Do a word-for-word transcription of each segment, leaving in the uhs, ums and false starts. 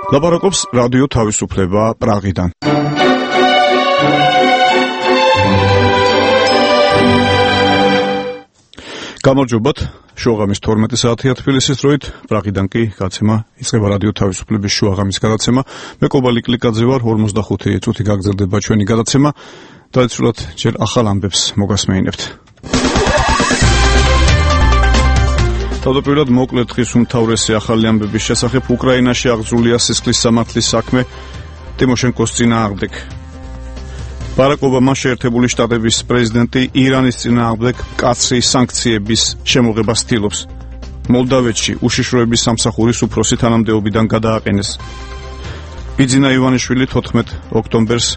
ლაპარაკობს რადიო თავისუფლება პრაღიდან. გამარჯობათ, შუაღამის თორმეტი საათია თბილისის დროით, პრაღიდან კი გაცემა იწყება რადიო თავისუფლების შუაღამის გადაცემა. მე კობალი კლიკაძე ვარ, ორმოცდახუთი წუთი გაგრძელდება ჩვენი გადაცემა. tradicionalt ჯერ ახალ ამბებს მოგასმეინებთ. თავდაპირველად მოკლედ დღის უმთავრესი ახალი ამბების შესახებ უკრაინაში აღძრულია სისხლის სამართლის საქმე ტიმოშენკოს წინააღმდეგ. ბარაკ ობამა შეერთებული შტატების პრეზიდენტი ირანის წინააღმდეგ მკაცრი სანქციების შემოღებას ცდილობს. მოლდავეთში უშიშროების სამსახურის უფროსი თანამდებობიდან გადააყენეს. ბიძინა ივანიშვილი თოთხმეტ ოქტომბერს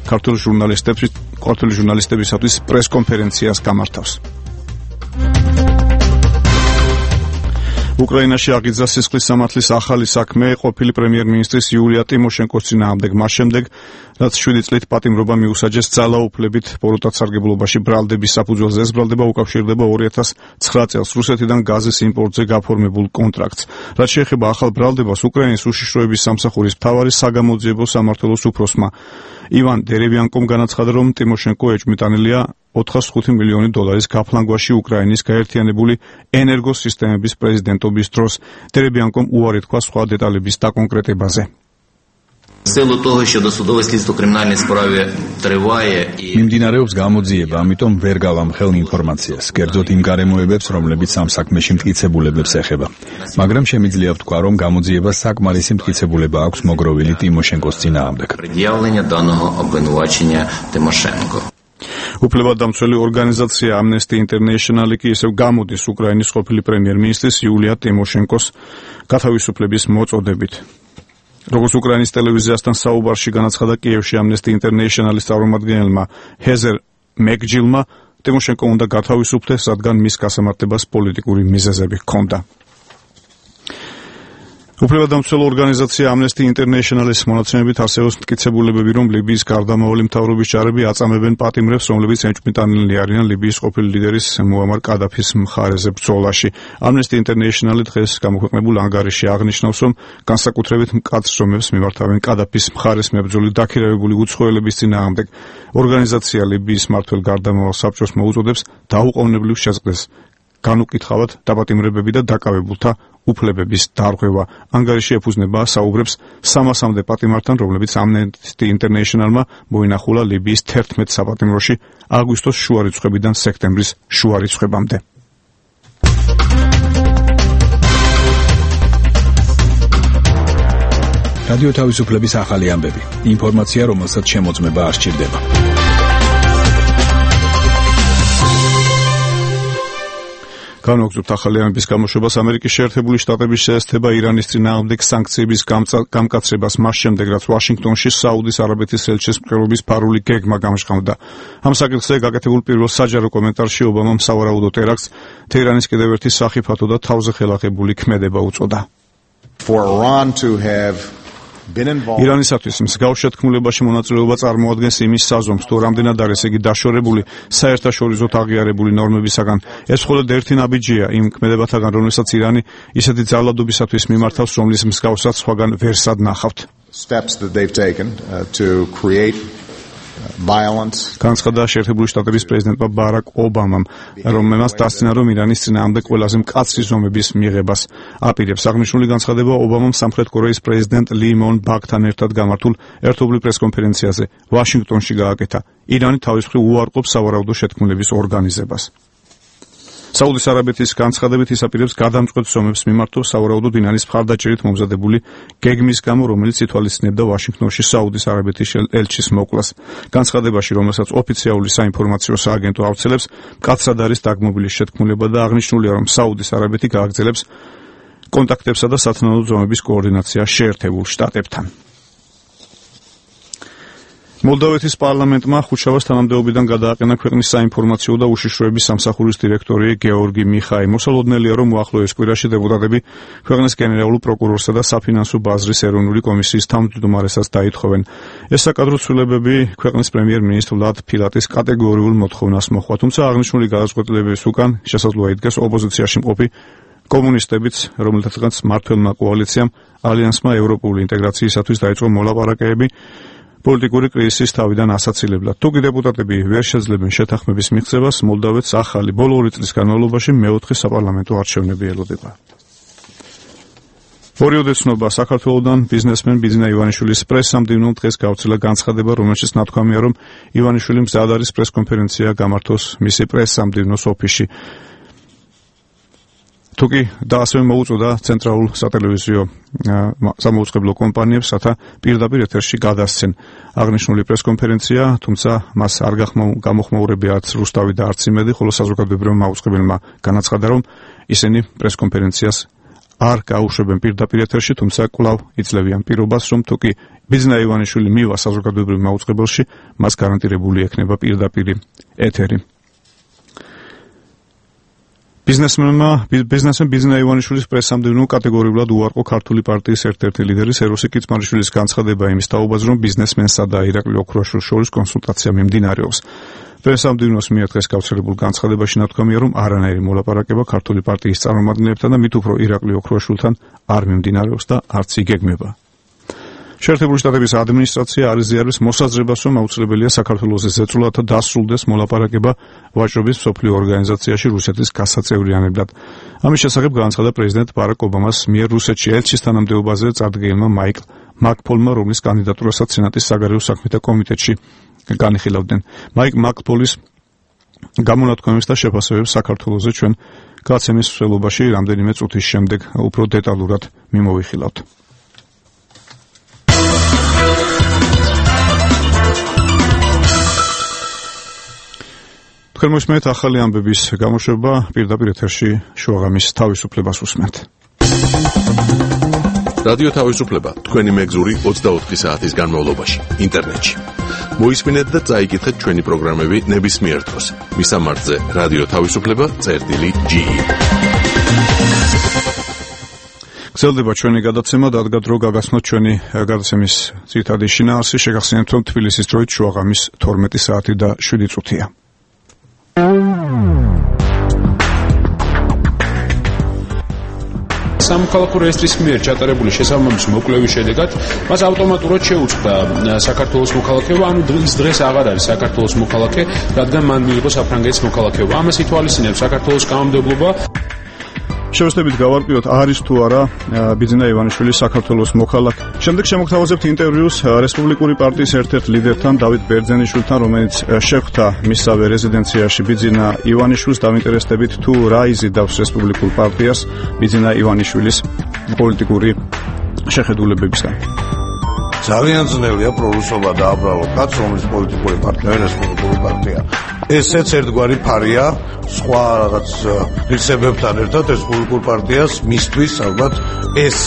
ქართული ჟურნალისტების ქართული ჟურნალისტებისათვის პრესკონფერენციას გამართავს. უკრაინაში აღიძრა სისხლის სამართლის ახალი საქმე ყოფილი პრემიერ-მინისტრის იულია ტიმოშენკოს წინააღმდეგ მას შემდეგ, რაც შვიდი წლით პატიმრობა მიუსაჯეს ძალაუფლებით პოროტაცარგებლობაში ბრალდების საფუძველზე. ეს ბრალდება უკავშირდება ორი ათას ცხრა წელს რუსეთიდან გაზის იმპორტზე გაფორმებულ კონტრაქტს. რაც შეეხება ახალ ბრალდებას, უკრაინის უშიშროების სამსახურის მთავარი საგამოძიებო სამმართველოს უფროსმა ივან დერევიანკომ განაცხადა, რომ ტიმოშენკო ეჭვმიტანილია ოთხას ხუთი მილიონი დოლარის გაფლანგვაში უკრაინის გაერთიანებული ენერგოსისტემების პრეზიდენტობის დროს. დერევიანკომ უარი თქვა სხვა დეტალების დაკონკრეტებაზე. მიმდინარეობს გამოძიება, ამიტომ ვერ გავამ ხელ ინფორმაციას, კერძოდ იმ გარემოებებს, რომლებიც ამ საქმეში მტკიცებულებებს ეხება. მაგრამ შემიძლია ვთქვა, რომ გამოძიებას საკმარისი მტკიცებულება აქვს მოგროვილი ტიმოშენკოს წინააღმდეგ. უფლებადამცველი ორგანიზაცია Amnesty International კი ისევ გამოდის უკრაინის ყოფილი პრემიერ-მინისტრის იულია ტიმოშენკოს გათავისუფლების მოწოდებით. როგორც უკრაინის ტელევიზიასთან საუბარში განაცხადა კიევში Amnesty International-ის წარმომადგენელმა ჰეზერ მეკჯილმა, ტიმოშენკო უნდა გათავისუფლდეს, რადგან მის გასამართლებას პოლიტიკური მიზეზები ჰქონდა. უფლებადამცველ ორგანიზაცია Amnesty International-ის მონაცემებით არსებობს მტკიცებულებები, რომ ლიბიის გარდამავალი მთავრობის ჯარები აწამებენ პატიმრებს, რომლებიც ეჭვმიტანილი არიან ლიბიის ყოფილი ლიდერის მუამარ კადაფის მხარეზე ბრძოლაში. Amnesty International დღეს გამოქვეყნებულ ანგარიში აღნიშნავს, რომ განსაკუთრებით მკაცრ ზომებს მიმართავენ კადაფის მხარეს მებრძოლი დაქირავებული უცხოელების წინააღმდეგ. ორგანიზაცია ლიბიის მმართველ გარდამავალ საბჭოს მოუწოდებს დაუყოვნებლივ შეწყვეტს განუკითხავად დაპატიმრებები და დაკავებულთა უფლებების დარღვევა. ანგარიში ეფუძნება საუბრებს სამასამდე პატიმართან, რომლებიც Amnesty International-მა მოინახულა ლიბიის თერთმეტ საპატიმროში აგვისტოს შუა რიცხვებიდან სექტემბრის შუა რიცხვებამდე. რადიო თავისუფლების ახალი ამბები. ინფორმაცია, რომელსაც შემოწმება არ სჭირდება. განვაგრძობთ ახალი ამბების გამოშვებას. ამერიკის შეერთებული შტატების შეესწება ირანის წინააღმდეგ სანქციების გამკაცრებას მას შემდეგ, რაც ვაშინგტონში საუდის არაბეთის ელჩის მკვლელობის ფარული გეგმა გამჟღავნდა. ამ საკითხზე გაკეთებულ პირველ საჯარო კომენტარში ობამამ სავარაუდო ტერაქტს თეირანის კიდევ ერთი სახიფათო და თავზე ხელახებული ქმედება უწოდა. ირანისათვის მსგავს შეთქმულებაში მონაწილეობა წარმოადგენს იმის საზომს, თუ რამდენად არის იგი დაშორებული საერთაშორისოდ აღიარებული ნორმებისაგან. ეს მხოლოდ ერთი ნაბიჯია იმ ქმედებათაგან, რომელსაც ირანი ისეთი ძალადობისათვის მიმართავს, რომლის მსგავსად სხვაგან ვერსად ნახავთ. განცხადა შეერთებული შტატების პრეზიდენტმა ბარაკ ობამამ, რომელმაც დასცინა, რომ ირანის წინააღმდეგ ყველაზე მკაცრი ზომების მიღებას აპირებს. აღნიშნული განცხადება ობამამ სამხრეთ კორეის პრეზიდენტ ლი მონ ბაკთან ერთად გამართულ ერთობლივ პრესკონფერენციაზე ვაშინგტონში გააკეთა. ირანი თავის მხრივ უარყოფს სავარაუდო შეთქმულების ორგანიზებას. საუდის არაბეთის განცხადებით ის აპირებს გადამწყვეტ ზომებს მიმართოს სავარაუდოდ ირანის მხარდაჭერით მომზადებული გეგმის გამო, რომელიც ითვალისწინებდა ვაშინგტონში საუდის არაბეთის ელჩის მოკვლას. განცხადებაში, რომელსაც ოფიციალური საინფორმაციო სააგენტო ავრცელებს, მკაცრად არის დაგმობილი შეთქმულება და აღნიშნულია, რომ საუდის არაბეთი გააგრძელებს კონტაქტებსა და სათანადო ზომების კოორდინაციას შეერთებულ შტატებთან. მოლდავეთის პარლამენტმა ხუთშაბათს თანამდებობიდან გადააყენა ქვეყნის საინფორმაციო და უშიშროების სამსახურის დირექტორი გეორგი მიხაი. მოსალოდნელია, რომ უახლოეს კვირაში დეპუტატები ქვეყნის გენერალურ პროკურორსა და საფინანსო ბაზრის ეროვნული კომისიის თავმჯდომარესაც დაითხოვენ. ეს საკადრო ცვლილებები ქვეყნის პრემიერ-მინისტრ ვლად ფილატის კატეგორიულ მოთხოვნას მოჰყვა, თუმცა აღნიშნული გადაწყვეტილებების უკან შესაძლოა იდგეს ოპოზიციაში მყოფი კომუნისტებიც, რომელთაც მმართველმა კოალიციამ ალიანსმა ევროპული ინტეგრაციისათვის დაიწყო მოლაპარაკებები პოლიტიკური კრიზისის თავიდან ასაცილებლად. თუკი დეპუტატები ვერ შეძლებენ შეთანხმების მიღწევას, მოლდავეთს ახალი ბოლო ორი წლის განმავლობაში მეოთხე საპარლამენტო არჩევნები ელოდება. ორი ოდესნობა საქართველოდან ბიზნესმენ ბიძინა ივანიშვილის პრესსამდივნო დღეს გავრცელა განცხადება, რომელშიც ნათქვამია, რომ ივანიშვილი მზად არის პრესკონფერენცია გამართოს მისი პრესსამდივნოს ოფისში. თუკი და ასევე მოუწოდა ცენტრალურ სატელევიზიო სამაუწყებლო კომპანიებს, რათა პირდაპირ ეთერში გადასცენ აღნიშნული პრესკონფერენცია, თუმცა მას არ გამოხმაურებია არც რუსთავი და არც იმედი, ხოლო საზოგადოებრივმა მაუწყებელმა განაცხადა, რომ ისინი პრესკონფერენციას არ გაუშვებენ პირდაპირ ეთერში, თუმცა კვლავ იძლევიან პირობას, რომ თუკი ბიძინა ივანიშვილი მივა საზოგადოებრივ მაუწყებელში, მას გარანტირებული ექნება პირდაპირ ეთერი. ბიზნესმენმა ბიზნესმენ ბიძინა ივანიშვილის პრესსამდივნო კატეგორიულად უარყო ქართული პარტიის ერთ-ერთი ლიდერი სეროსი კიცმარიშვილის განცხადება იმის თაობაზე, რომ ბიზნესმენსა და ირაკლი ოქროაშვილს შორის კონსულტაცია მიმდინარეობს. პრესსამდივნოს მიერ დღეს გავრცელებულ განცხადებაში ნათქვამია, რომ არანაირი მოლაპარაკება ქართული პარტიის წარმომადგენლებთან და მით უფრო ირაკლი ოქროაშვილთან არ მიმდინარეობს და არც იგეგმება. შეერთებული შტატების ადმინისტრაცია არ იზიარებს მოსაზრებას, რომ აუცილებელია საქართველოს ზეწოლად დასრულდეს მოლაპარაკება ვაჭრობის მსოფლიო ორგანიზაციაში რუსეთის გასაწევრიანებლად. ამის შესახებ განაცხადა პრეზიდენტ ბარაკ ობამას მიერ რუსეთში ელჩის თანამდებობაზე წარდგენილმა მაიკლ მაკფოლმა, რომლის კანდიდატურასაც სენატის საგარეო საქმეთა კომიტეტში განიხილავდნენ. მაიკლ მაკფოლის გამონათქვამებს და შეფასებებს საქართველოზე ჩვენ გაცემის მსვლელობაში რამდენიმე წუთის შემდეგ უფრო დეტალურად მიმოვიხილავთ. თქვენ მოსმენთ ახალი ამბების გამოშვება, პირდაპირ ეთერში შუაღამის თავისუფლებას უსმენთ. რადიო თავისუფლება თქვენი მეგზური ოცდაოთხი საათის განმავლობაში ინტერნეტში. მოისმინეთ და წაიკითხეთ ჩვენი პროგრამები ნებისმიერ დროს. მისამართზე რადიო თავისუფლება წერტილი ჯი. გრძელდება ჩვენი გადაცემა, დადგა დრო გაგაცნოთ ჩვენი გადაცემის ძირითადი შინაარსი, შეგახსენებთ, რომ თბილისის დროით შუაღამის თორმეტი საათი და შვიდი წუთია. სამოქალაქო რეესტრის მიერ ჩატარებული შესაბამისი მოკვლევის შედეგად მას ავტომატურად შეუწყდა საქართველოს მოქალაქეობა, ანუ დღის დღეს აღარ არის საქართველოს მოქალაქე, რადგან მან მიიღო საფრანგეთის მოქალაქეობა. ამას ითვალისწინებს საქართველოს კანონმდებლობა. შევსწრებით გავარკვიოთ, არის თუ არა ბიძინა ივანიშვილის საქართველოს მოქალაქე. შემდეგ შემოგთავაზებთ ინტერვიუს რესპუბლიკური პარტიის ერთ-ერთ ლიდერთან, დავით ბერძენიშვილთან, რომელიც შეხვდა მისსავე რეზიდენციაში ბიძინა ივანიშვილს, დავინტერესდებით თუ რა იზიდავს რესპუბლიკურ პარტიას ბიძინა ივანიშვილის პოლიტიკური შეხედულებებისგან. ძალიან ძნელია პრორუსობა და აბრალო კაც, რომელიც პოლიტიკური პარტნიორი რესპუბლიკური პარტია. ესეც ერთგვარი ფარია სხვა რაღაც რისებებთან ერთად რესპუბლიკურ პარტიას მისთვის ალბათ ეს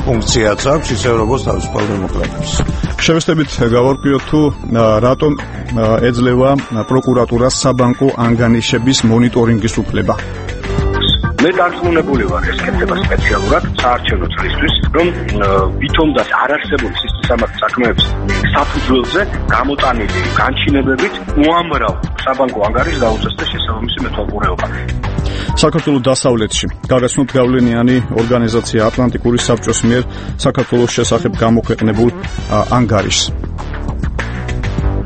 ფუნქციაც აქვს, ისე როგორც თავისუფალ დემოკრატებს. შევესწრებით გავარკვიოთ თუ რატომ ეძლევა პროკურატურას საბანკო ანგარიშების მონიტორინგის უფლება. მე დარწმუნებული ვარ, ეს კეთდება სპეციალურად საარჩევნო წლისთვის, რომ ვითომაც არ არსებული სისტემატურ საქმეებს საფუძველზე გამოტანილი განჩინებებით უამრავ საბანკო ანგარიშს დაუწესდა შესაბამისი მეთვალყურეობა. საქართველოს დასავლეთში გაგაცნოთ გავლენიანი ორგანიზაცია ატლანტიკური საბჭოს მიერ საქართველოს შესახებ გამოქვეყნებულ ანგარიშს.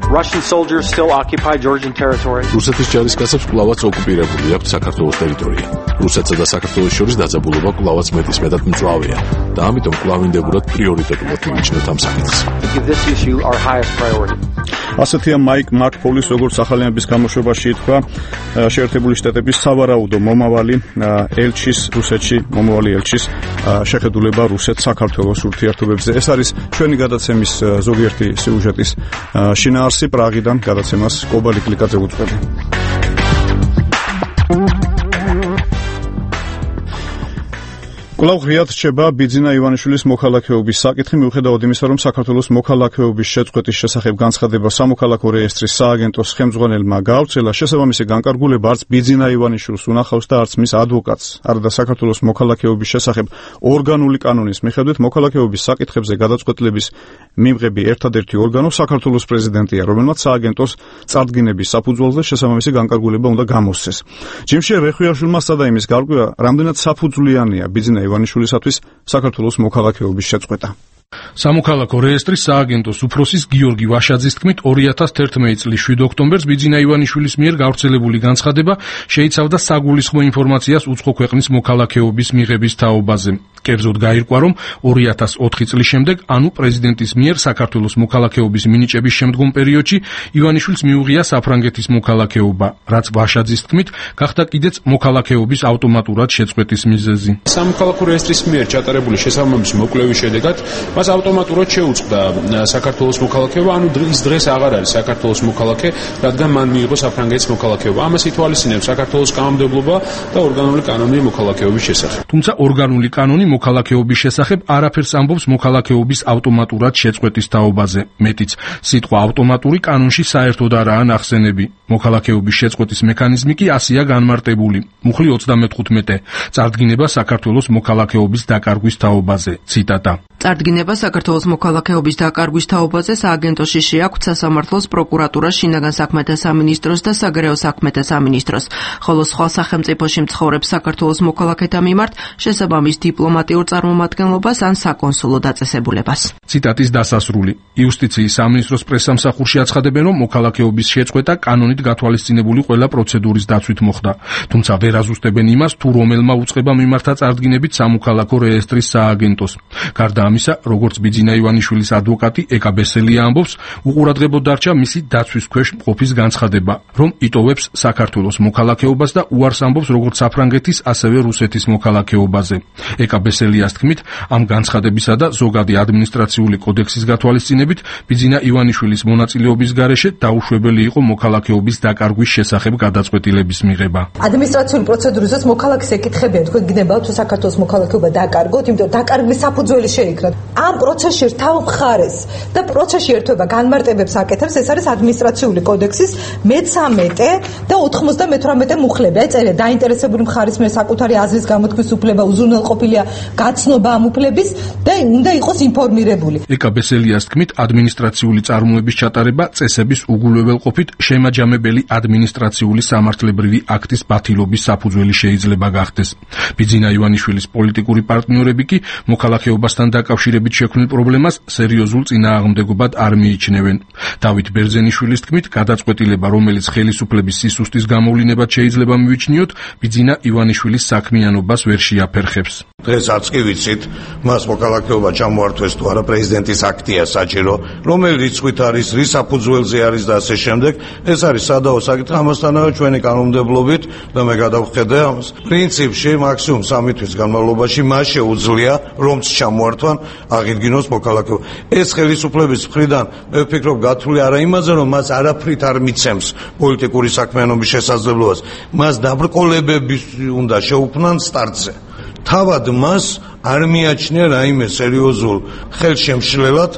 Russian soldiers still occupy Georgian territory. რუსეთის ჯარისკაცებს კვლავაც ოკუპირებული აქვს საქართველოს ტერიტორია. რუსეთსა და საქართველოს შორის დაძაბულობა კვლავაც მეტისმეტად მწვავეა და ამიტომ კვლავინდებურად პრიორიტეტულად მიიჩნევთ ამ საკითხს. Give this issue our highest priority. ასეთია მაიკ მაკფოლის, როგორც ახალიანების გამოშვებაში ითქვა, შეერთებული შტატების სავარაუდო მომავალი ელჩის რუსეთში, მომავალი ელჩის შეხედულება რუსეთ-საქართველოს ურთიერთობებზე. ეს არის ჩვენი გადაცემის ზოგიერთი სიუჟეტის შინაარსი. პრაღიდან გადაცემას კობალი კლიკაძე უძღვები. კვლავ ღიად რჩება ბიძინა ივანიშვილის მოქალაქეობის საკითხი, მიუხედავად იმისა, რომ საქართველოს მოქალაქეობის შეწყვეტის შესახებ განცხადება სამოქალაქო რეესტრის სააგენტოს ხელმძღვანელმა გაავრცელა, შესაბამისი განკარგულება არც ბიძინა ივანიშვილს უნახავს და არც მის ადვოკატს. არადა საქართველოს მოქალაქეობის შესახებ ორგანული კანონის მიხედვით მოქალაქეობის საკითხებზე გადაწყვეტილების მიმღები ერთადერთი ორგანო საქართველოს პრეზიდენტია, რომელმაც სააგენტოს წარდგინების საფუძველზე შესაბამისი განკარგულება უნდა გამოსცეს. ჯიმშე რეხვიაშვილმა სცადა იმის გარკვევა, რამდენად საფუძვლიანია ბიძინა ივანიშვილისათვის საქართველოს მოქალაქეობის შეწყვეტა. სამოქალაქო რეესტრის სააგენტოს უფროსის გიორგი ვაშაძის თქმით, ორი ათას თერთმეტი წლის შვიდ ოქტომბერს ბიძინა ივანიშვილის მიერ გავრცელებული განცხადება შეიცავდა საგულისხმო ინფორმაციას უცხო ქვეყნის მოქალაქეობის მიღების თაობაზე. კერძოდ გაირკვა, რომ ორი ათას ოთხი წლის შემდეგ, ანუ პრეზიდენტის მიერ საქართველოს მოქალაქეობის მინიჭების შემდგომ პერიოდში ივანიშვილს მიუღია საფრანგეთის მოქალაქეობა, რაც ვაშაძის თქმით, გახდა კიდეც მოქალაქეობის ავტომატურად შეწყვეტის მიზეზი. სამოქალაქო რეესტრის მიერ ჩატარებული შესაბამისი მოკვლევის შედეგად მას ავტომატურად შეუწყდა საქართველოს მოქალაქეობა, ანუ ის დღეს აღარ არის საქართველოს მოქალაქე, რადგან მან მიიღო საფრანგეთის მოქალაქეობა. ამას ითვალისწინებს საქართველოს კანონმდებლობა და ორგანული კანონი მოქალაქეობის შესახებ. თუმცა ორგანული კანონი მოქალაქეობის შესახებ არაფერს ამბობს მოქალაქეობის ავტომატურად შეწყვეტის თაობაზე. მეტიც, სიტყვა ავტომატური კანონში საერთოდ არაა ნახსენები. მოქალაქეობის შეწყვეტის მექანიზმი კი ასეა განმარტებული. მუხლი ოცდამეთხუთმეტე. წარდგინება საქართველოს მოქალაქეობის დაკარგვის თაობაზე. ციტატა. წარდგინება საქართველოს მოქალაქეობის დაკარგვის თაობაზე სააგენტოში შეაქვთ სასამართლოს, პროკურატურას, შინაგან საქმეთა სამინისტროს და საგარეო საქმეთა სამინისტროს, ხოლო სხვა სახელმწიფოში მცხოვრებ საქართველოს მოქალაქეთა მიმართ შესაბამის დიპლომატიურ წარმომადგენლობას ან საკონსულო დაწესებულებას. ციტატის დასასრული. იუსტიციის სამინისტროს პრესსამსახურში აცხადებენ, რომ მოქალაქეობის შეწყვეტა კანონით გათვალისწინებული ყველა პროცედურის დაცვით მოხდა. თუმცა ვერ აზუსტებენ იმას, თუ რომელმა უწყება მიმართა წარდგინებით სამოქალაქო რეესტრის სააგენტოს. გარდა ამისა, როგორც ბიძინა ივანიშვილის ადვოკატი ეკა ბესელია ამბობს, უყურადღებოდ დარჩა მისი დაცვის ქვეშ მყოფის განცხადება, რომ იტოვებს საქართველოს მოქალაქეობას და უარს ამბობს როგორც საფრანგეთის, ასევე რუსეთის მოქალაქეობაზე. ეკა ბესელიას თქმით, ამ განცხადებისა და ზოგადი ადმინისტრაციული კოდექსის გათვალისწინებით ბიძინა ივანიშვილის მონაწილეობის გარეშე დაუშვებელი იყო მოქალაქეობის დაკარგვის შესახებ გადაწყვეტილების მიღება. ადმინისტრაციული პროცედურისას მოქალაქეს ეკითხებიან, თქვენ გნებავთ თუ საქართველოს მოქალაქეობა დაკარგოთ, იმიტომ დაკარგვის საფუძველი შეიკრათ. ამ პროცესში რთავ მხარეს და პროცესში ერთვება განმარტებებს აკეთებს, ეს არის ადმინისტრაციული კოდექსის მეცამეტე და ოთხმოცდამეთვრამეტე მუხლები. აი წერია დაინტერესებული მხარის მიერ საკუთარი აზრის გამოთქმის უფლება უზრუნველყოფილია გაცნობა ამ უფლების და უნდა იყოს ინფორმირებული. ეკა ბესელიას თქმით, ადმინისტრაციული წარმოების ჩატარება წესების უგულებელყოფით შემაჯამებელი ადმინისტრაციული სამართლებრივი აქტის ბათილობის საფუძველი შეიძლება გახდეს. ბიძინა ივანიშვილის პოლიტიკური პარტნიორები კი მოქალაქეობასთან დაკავშირებით შექმნილ პრობლემას სერიოზულ წინააღმდეგობად არ მიიჩნევენ. დავით ბერძენიშვილის თქმით, გადაწყვეტილება, რომელიც ხელისუფლების სისუსტის გამოვლინებად შეიძლება მივიჩნიოთ, ბიძინა ივანიშვილის საქმიანობას ვერ შეაფერხებს. დღეს არც კი ვიცით, მას მოქალაქეობა ჩამოართვეს თუ არა, პრეზიდენტის აქტია საჭირო, რომელი რიცხვით არის, რის საფუძველზე არის და ასე შემდეგ. ეს არის სადაო საკითხი, ამასთანავე ჩვენი კანონმდებლობით და მე გადავხედე ამას. პრინციპში მაქსიმუმ სამი თვის განმავლობაში მას შეუძლია, რომც ჩამოართვან, აღიდგინოს მოქალაქეობა. ეს ხელისუფლების მხრიდან მე ვფიქრობ გათვლილი არა იმაზე, რომ მას არაფრით არ მიცემს პოლიტიკური საქმიანობის შესაძლებლობას, მას დაბრკოლებები უნდა შეუქმნან სტარტზე. თავად მას არ მიაჩნია რაიმე სერიოზულ ხელშემშლელად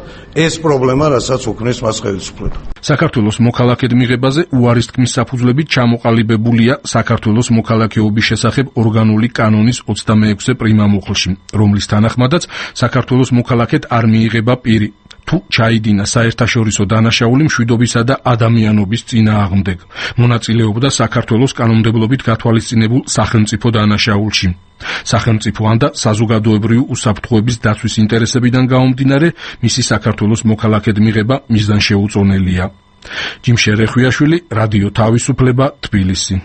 ეს პრობლემა, რასაც უქმნის მას ხელისუფლება. საქართველოს მოქალაქედ მიღებაზე უარის თქმის საფუძვლებით ჩამოყალიბებულია საქართველოს მოქალაქეობის შესახებ ორგანული კანონის ოცდამეექვსე პრიმა მუხლში, რომლის თანახმადაც საქართველოს მოქალაქედ არ მიიღება პირი, თუ ჩაიდინა საერთაშორისო დანაშაული მშვიდობისა და ადამიანობის წინააღმდეგ, მონაწილეობდა საქართველოს კანონმდებლობით გათვალისწინებულ სახელმწიფო დანაშაულში. სახელმწიფო ან და საზოგადოებრივი უსაფრთხოების დაცვის ინტერესებიდან გამომდინარე, მისი საქართველოს მოქალაქედ მიღება მიზანშეუწონელია. ჯიმშე რეხვიაშვილი, რადიო თავისუფლება, თბილისი.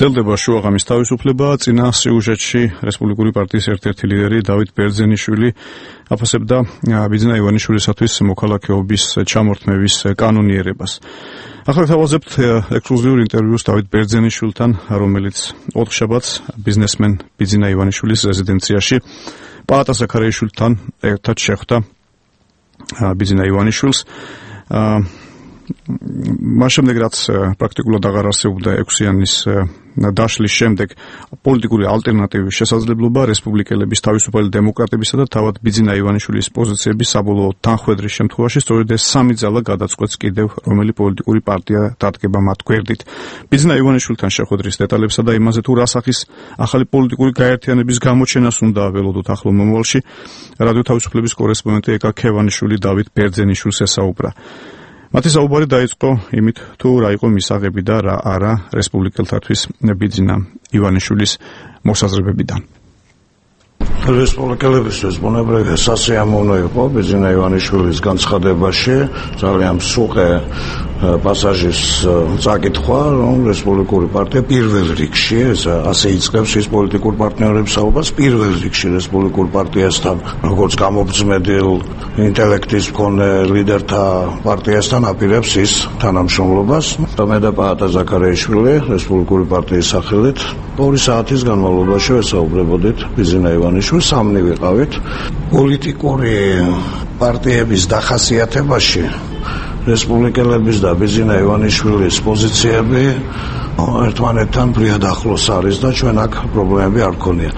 გრძელდება შუაღამის თავისუფლება. წინა სიუჟეტში რესპუბლიკური პარტიის ერთ-ერთი ლიდერი დავით ბერძენიშვილი აფასებდა ბიძინა ივანიშვილისათვის მოქალაქეობის ჩამორთმევის კანონიერებას. ახლა თავაზებთ ექსკლუზიურ ინტერვიუს დავით ბერძენიშვილთან, რომელიც ოთხშაბათს ბიზნესმენ ბიძინა ივანიშვილის რეზიდენციაში პალატა ზაქარიაშვილთან ერთად შეხვდა ბიძინა ივანიშვილს. მას შემდეგ რაც პრაქტიკულად აღარ არსებობდა ექვსიანის დაშლის შემდეგ პოლიტიკური ალტერნატივის შესაძლებლობა რესპუბლიკელების, თავისუფალი დემოკრატებისა და თავად ბიძინა ივანიშვილის პოზიციების საბოლოო თანხვედრის შემთხვევაში სწორედ ეს სამი ძალა გადაწყვეტს კიდევ რომელი პოლიტიკური პარტია დადგება მათ გვერდით. ბიძინა ივანიშვილთან შეხვედრის დეტალებსა და იმაზე თუ რა სახის ახალი პოლიტიკური გაერთიანების გამოჩენას უნდა ველოდოთ ახლო მომავალში, რადიო თავისუფლების კორესპონდენტი ეკა ქევანიშვილი დავით ბერძენიშვილს ესაუბრა. მათი საუბარი დაიწყო იმით, თუ რა იყო მისაღები და რა არა რესპუბლიკელთათვის ბიძინა ივანიშვილის მოსაზრებებიდან. რესპუბლიკელებისთვის ბუნებრივია სასიამოვნო იყო ბიძინა ივანიშვილის განცხადებაში ძალიან მსუყე პასაჟის წაკითხვა, რომ რესპუბლიკური პარტია პირველ რიგში, ეს ასე იწყებს ის პოლიტიკურ პარტნიორებს საუბარს, პირველ რიგში რესპუბლიკურ პარტიასთან, როგორც გამობრძმედილ ინტელექტის მქონე ლიდერთა პარტიასთან აპირებს ის თანამშრომლობას. მე და პაატა ზაქარიაშვილი რესპუბლიკური პარტიის სახელით ორი საათის განმავლობაში ვესაუბრებოდით ბიძინა ივანიშვილს, სამნი ვიყავით. პოლიტიკური პარტიების დახასიათებაში რესპუბლიკელების და ბიძინა ივანიშვილის პოზიციები ერთმანეთთან ფრიად ახლოს არის და ჩვენ აქ პრობლემები არ გქონია.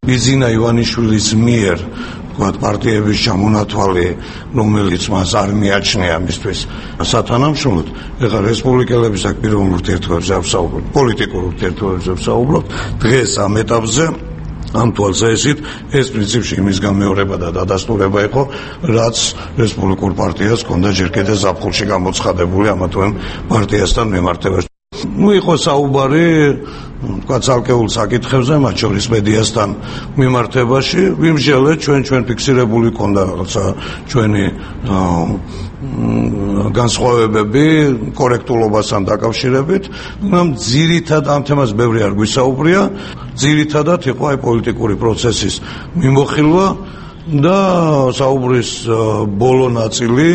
ბიძინა ივანიშვილის მიერ ვთქვათ პარტიების ჩამონათვალი, რომელიც მას არ მიაჩნია მისთვის სათანამშრომლოდ, ეხლა რესპუბლიკელების აქ პიროვნულ ურთიერთობებზე არ ვსაუბრობ, პოლიტიკურ ურთიერთობებზე ვსაუბრობ. დღეს ამ ეტაპზე ამ თვალსაზრისით ეს პრინციპში იმის გამეორება და დადასტურება იყო, რაც რესპუბლიკურ პარტიას ჰქონდა ჯერ კიდევ ზაფხულში გამოცხადებული ამა თუ იმ პარტიასთან მიმართებაში. ნუ იყო საუბარი თქვა ცალკეულ საკითხებზე, მათ შორის მედიასთან მიმართებაში, ვიმსჯელეთ ჩვენ ჩვენ ფიქსირებული ჰქონდა რაღაცა ჩვენი განსხვავებები კორექტულობასთან დაკავშირებით, მაგრამ ძირითადად ამ თემას ბევრი არ გვისაუბრია, ძირითადად იყო აი პოლიტიკური პროცესის მიმოხილვა და საუბრის ბოლო ნაწილი